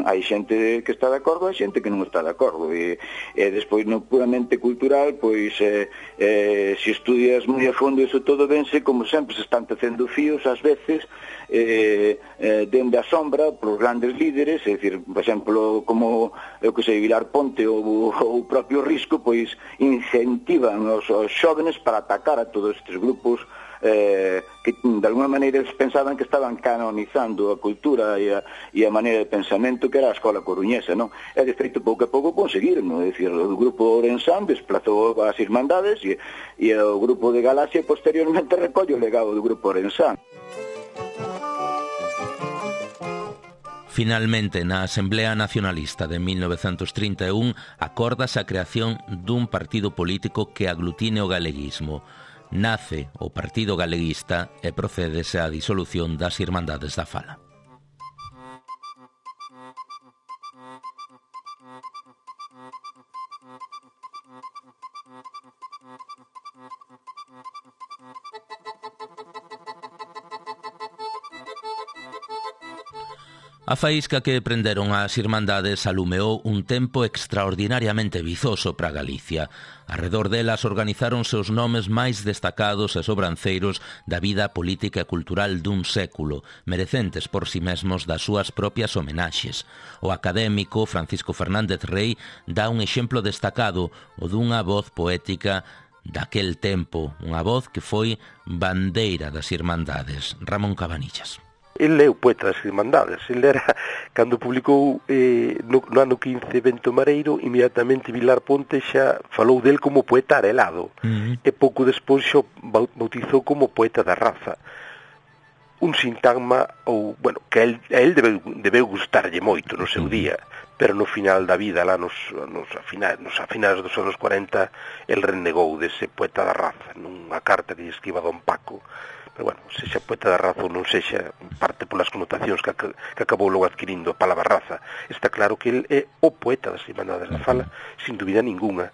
hai xente que está de acordo, hai xente que non está de acordo, e despois no puramente cultural, pois, se estudias moi a fondo eso todo vense, como sempre se están tecendo fíos, ás veces, dende a sombra, polos grandes líderes, é dicir, por exemplo, como eu que sei, Vilar Ponte ou o propio Risco, pois incentivan os xóvenes para atacar a todos estes grupos que de alguma maneira eles pensaban que estaban canonizando a cultura e a maneira de pensamento que era a escola coruñesa, non? E de feito pouco a pouco conseguiron, non? É dicir, o grupo Orensán desplazou as Irmandades e o grupo de Galaxia posteriormente recolle o legado do grupo Orensán. Finalmente, na Asamblea Nacionalista de 1931, acórdase a creación dun partido político que aglutine o galeguismo. Nace o Partido Galeguista e procédese á disolución das Irmandades da Fala. A faísca que prenderon as Irmandades alumeou un tempo extraordinariamente vizoso para Galicia. Arredor delas organizáronse os nomes máis destacados e sobranceiros da vida política e cultural dun século, merecentes por si mesmos das súas propias homenaxes. O académico Francisco Fernández Rey dá un exemplo destacado, o dunha voz poética daquel tempo, unha voz que foi bandeira das Irmandades. Ramón Cabanillas. Ele é o poeta das Irmandades. Ele era, cando publicou no ano 15 Vento Mareiro, inmediatamente Vilar Ponte xa falou del como poeta arelado, e pouco despois xa bautizou como poeta da raza. Un sintagma, ou, bueno, que a él debeu gustarlle moito no seu día, pero no final da vida, lá nos finais dos anos 40, el renegou dese poeta da raza, nunha carta que lle escriba Don Paco. Pero, bueno, sexa poeta da raza ou non sexa, parte polas connotacións que acabou logo adquirindo a palabra raza. Está claro que ele é o poeta das Irmandades da Fala, sin dúbida ninguna.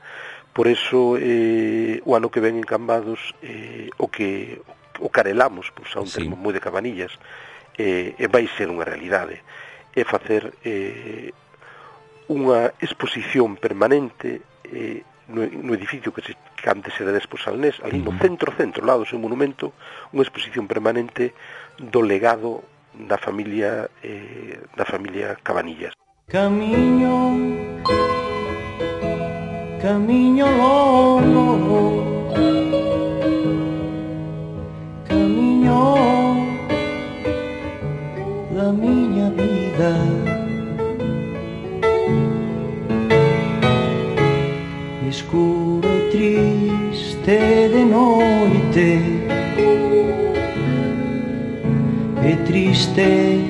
Por eso, o ano que ven en Cambados, o carelamos, por usar un termo moi de Cabanillas, vai ser unha realidade. É facer unha exposición permanente no edificio que antes era de Esposalnés, ali no centro, ao lado do seu monumento, unha exposición permanente do legado da familia Cabanillas. Camiño longo, camiño da miña vida, escuro e triste de noite, e triste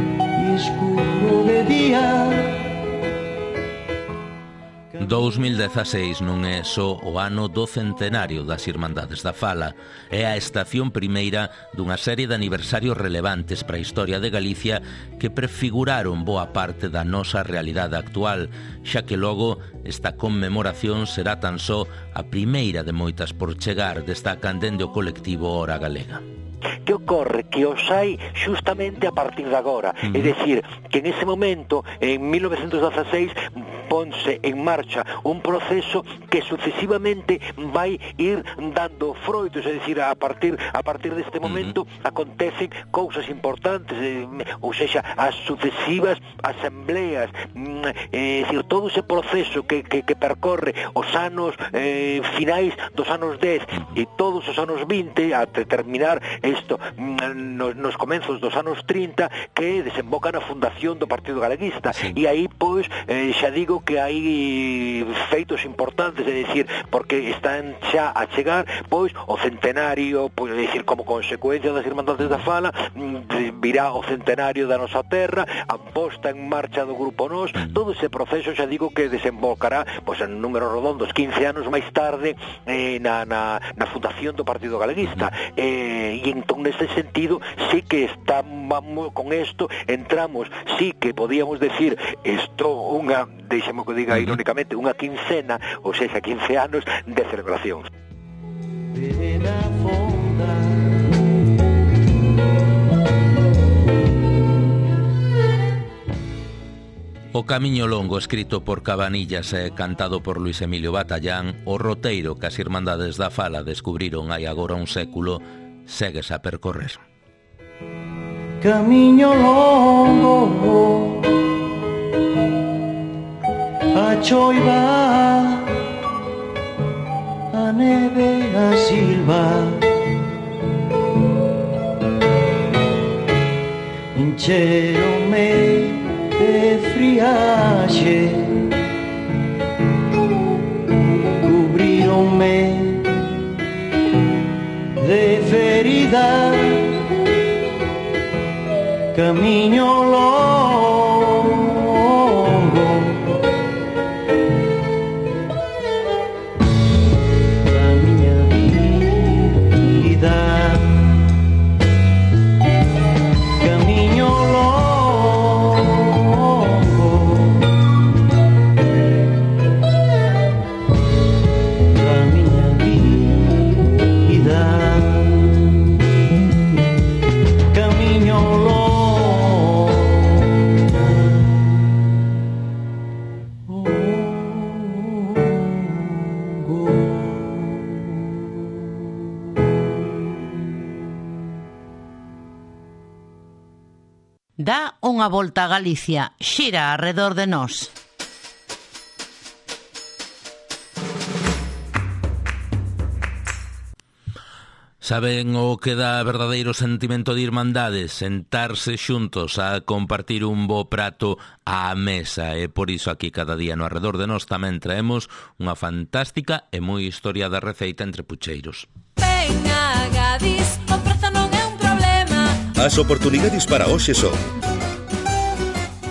e escuro de día. 2016 non é só o ano do centenario das Irmandades da Fala, é a estación primeira dunha serie de aniversarios relevantes para a historia de Galicia que prefiguraron boa parte da nosa realidade actual, xa que logo esta conmemoración será tan só a primeira de moitas por chegar, destacan dende o colectivo Hora Galega. Que ocorre? Que os hai xustamente a partir de agora. É dicir, que en ese momento, en 1916, ponse en marcha un proceso que sucesivamente vai ir dando froitos, é dicir, a partir deste momento acontecen cousas importantes, ou seja, as sucesivas asambleas, é dicir, todo ese proceso que percorre os anos finais dos anos 10 e todos os anos 20 a terminar isto nos comenzos dos anos 30, que desemboca na fundación do Partido Galeguista. E aí, pois, xa digo que hai feitos importantes, é dicir, porque están xa a chegar, pois, o centenario, pois, é dicir, como consecuencia das Irmandades da Fala, virá o centenario da nosa terra, a posta en marcha do Grupo Nós, todo ese proceso, xa digo, que desembocará, pois, en números redondos, 15 anos máis tarde, na fundación do Partido Galeguista. E entón, nese sentido, sí que estamos con isto, entramos, sí que podíamos decir, isto unha, deixemos que diga irónicamente, unha quincena, ou seja, 15 anos de celebración. O Camiño Longo, escrito por Cabanillas e cantado por Luis Emilio Batallán, o roteiro que as Irmandades da Fala descubriron hai agora un século, segues a percorrer. Camiño longo, a choiva, a neve, a silva, encheronme de friaxe, cubrironme de ferida, camiño longo, da miña vida, camiño longo, da miña vida, camiño longo. Dá unha volta a Galicia, xira arredor de nós. Saben o que dá verdadeiro sentimento de irmandade? Sentarse xuntos a compartir un bo prato á mesa, e por iso aquí cada día no Arredor de Nós tamén traemos unha fantástica e moi historiada receita entre pucheiros. Venga, Gadis, o prezo non é un problema. As oportunidades para hoxe son: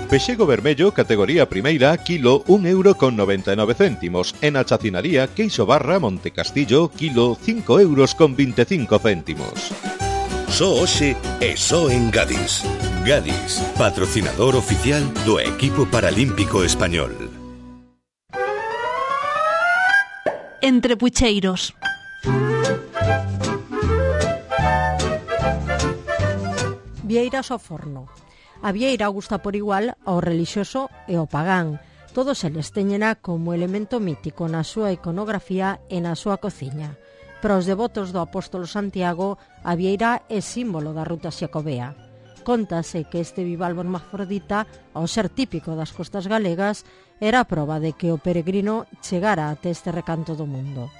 pexego vermello, categoría primeira, kilo, 1,99 €. E na chacinaría, queixo barra Montecastillo, kilo, 5,25 €. Só hoxe e só en Gadis. Gadis, patrocinador oficial do equipo paralímpico español. Entre pucheiros. Vieiras ao forno. A vieira gusta por igual ao relixioso e ao pagán. Todos eles teñena como elemento mítico na súa iconografía e na súa cociña. Para os devotos do apóstolo Santiago, a vieira é símbolo da ruta xacobea. Cóntase que este bivalvo hermafrodita, ao ser típico das costas galegas, era a proba de que o peregrino chegara até este recanto do mundo.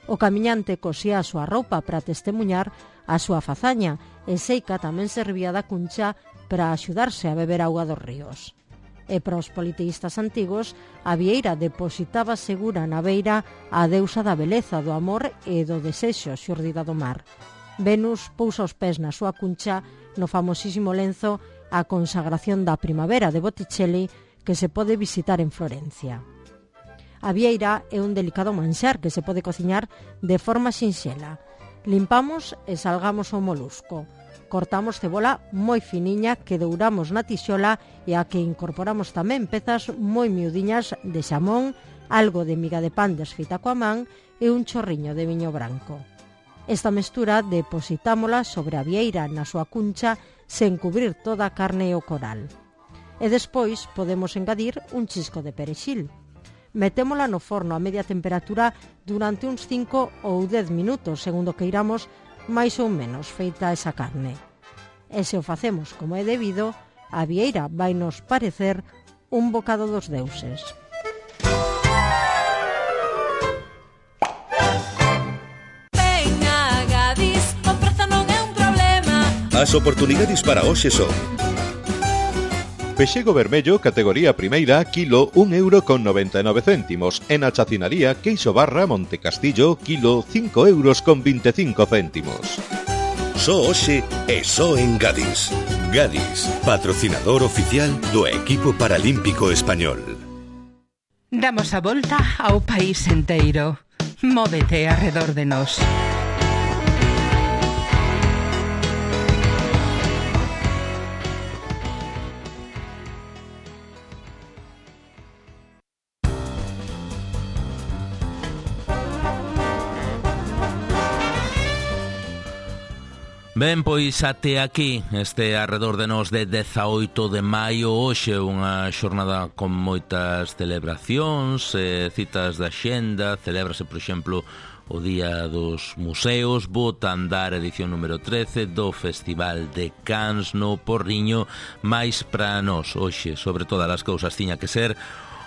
O camiñante cosía a súa roupa para testemunhar a súa fazaña e Seica tamén servía da cuncha para axudarse a beber auga dos ríos. E para os politeístas antigos, a vieira depositaba segura na beira a deusa da beleza, do amor e do desexo xurdida do mar. Venus pousa os pés na súa cuncha no famosísimo lenzo A consagración da primavera de Botticelli, que se pode visitar en Florencia. A vieira é un delicado manxar que se pode cociñar de forma sinxela. Limpamos e salgamos o molusco. Cortamos cebola moi finiña que douramos na tixola e a que incorporamos tamén pezas moi miudiñas de xamón, algo de miga de pan desfeita coa man e un chorriño de viño branco. Esta mestura depositámola sobre a vieira na súa cuncha sen cubrir toda a carne e o coral. E despois podemos engadir un chisco de perexil. Metémola no forno a media temperatura durante uns 5 ou 10 minutos, segundo que iramos máis ou menos feita esa carne. E se o facemos como é debido, a vieira vai nos parecer un bocado dos deuses. As oportunidades para hoxe son: pexego vermello, categoría primeira, kilo 1,99 €. E na chacinaría Queixo Barra Montecastillo, kilo 5,25 €. Só hoxe e só en Gadis. Gadis, patrocinador oficial do equipo paralímpico español. Damos a volta ao país enteiro. Móvete arredor de nós. Ben, pois até aquí este arredor de nós de 18 de maio. Hoxe unha xornada con moitas celebracións, citas da xenda. Celébrase, por exemplo, o Día dos Museos, Botandar, edición número 13 do Festival de Cans no Porriño. Mais para nós hoxe, sobre todas as cousas, tiña que ser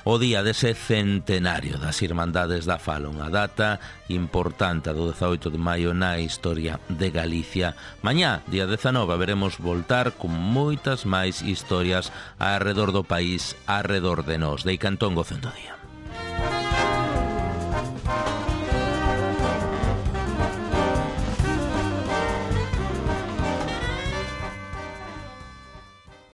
o día dese centenario das Irmandades da Fala, unha data importante do 18 de maio na historia de Galicia. Mañá, día 19, veremos voltar con moitas máis historias arredor do país, arredor de nós. Dei Cantón, gocendo día.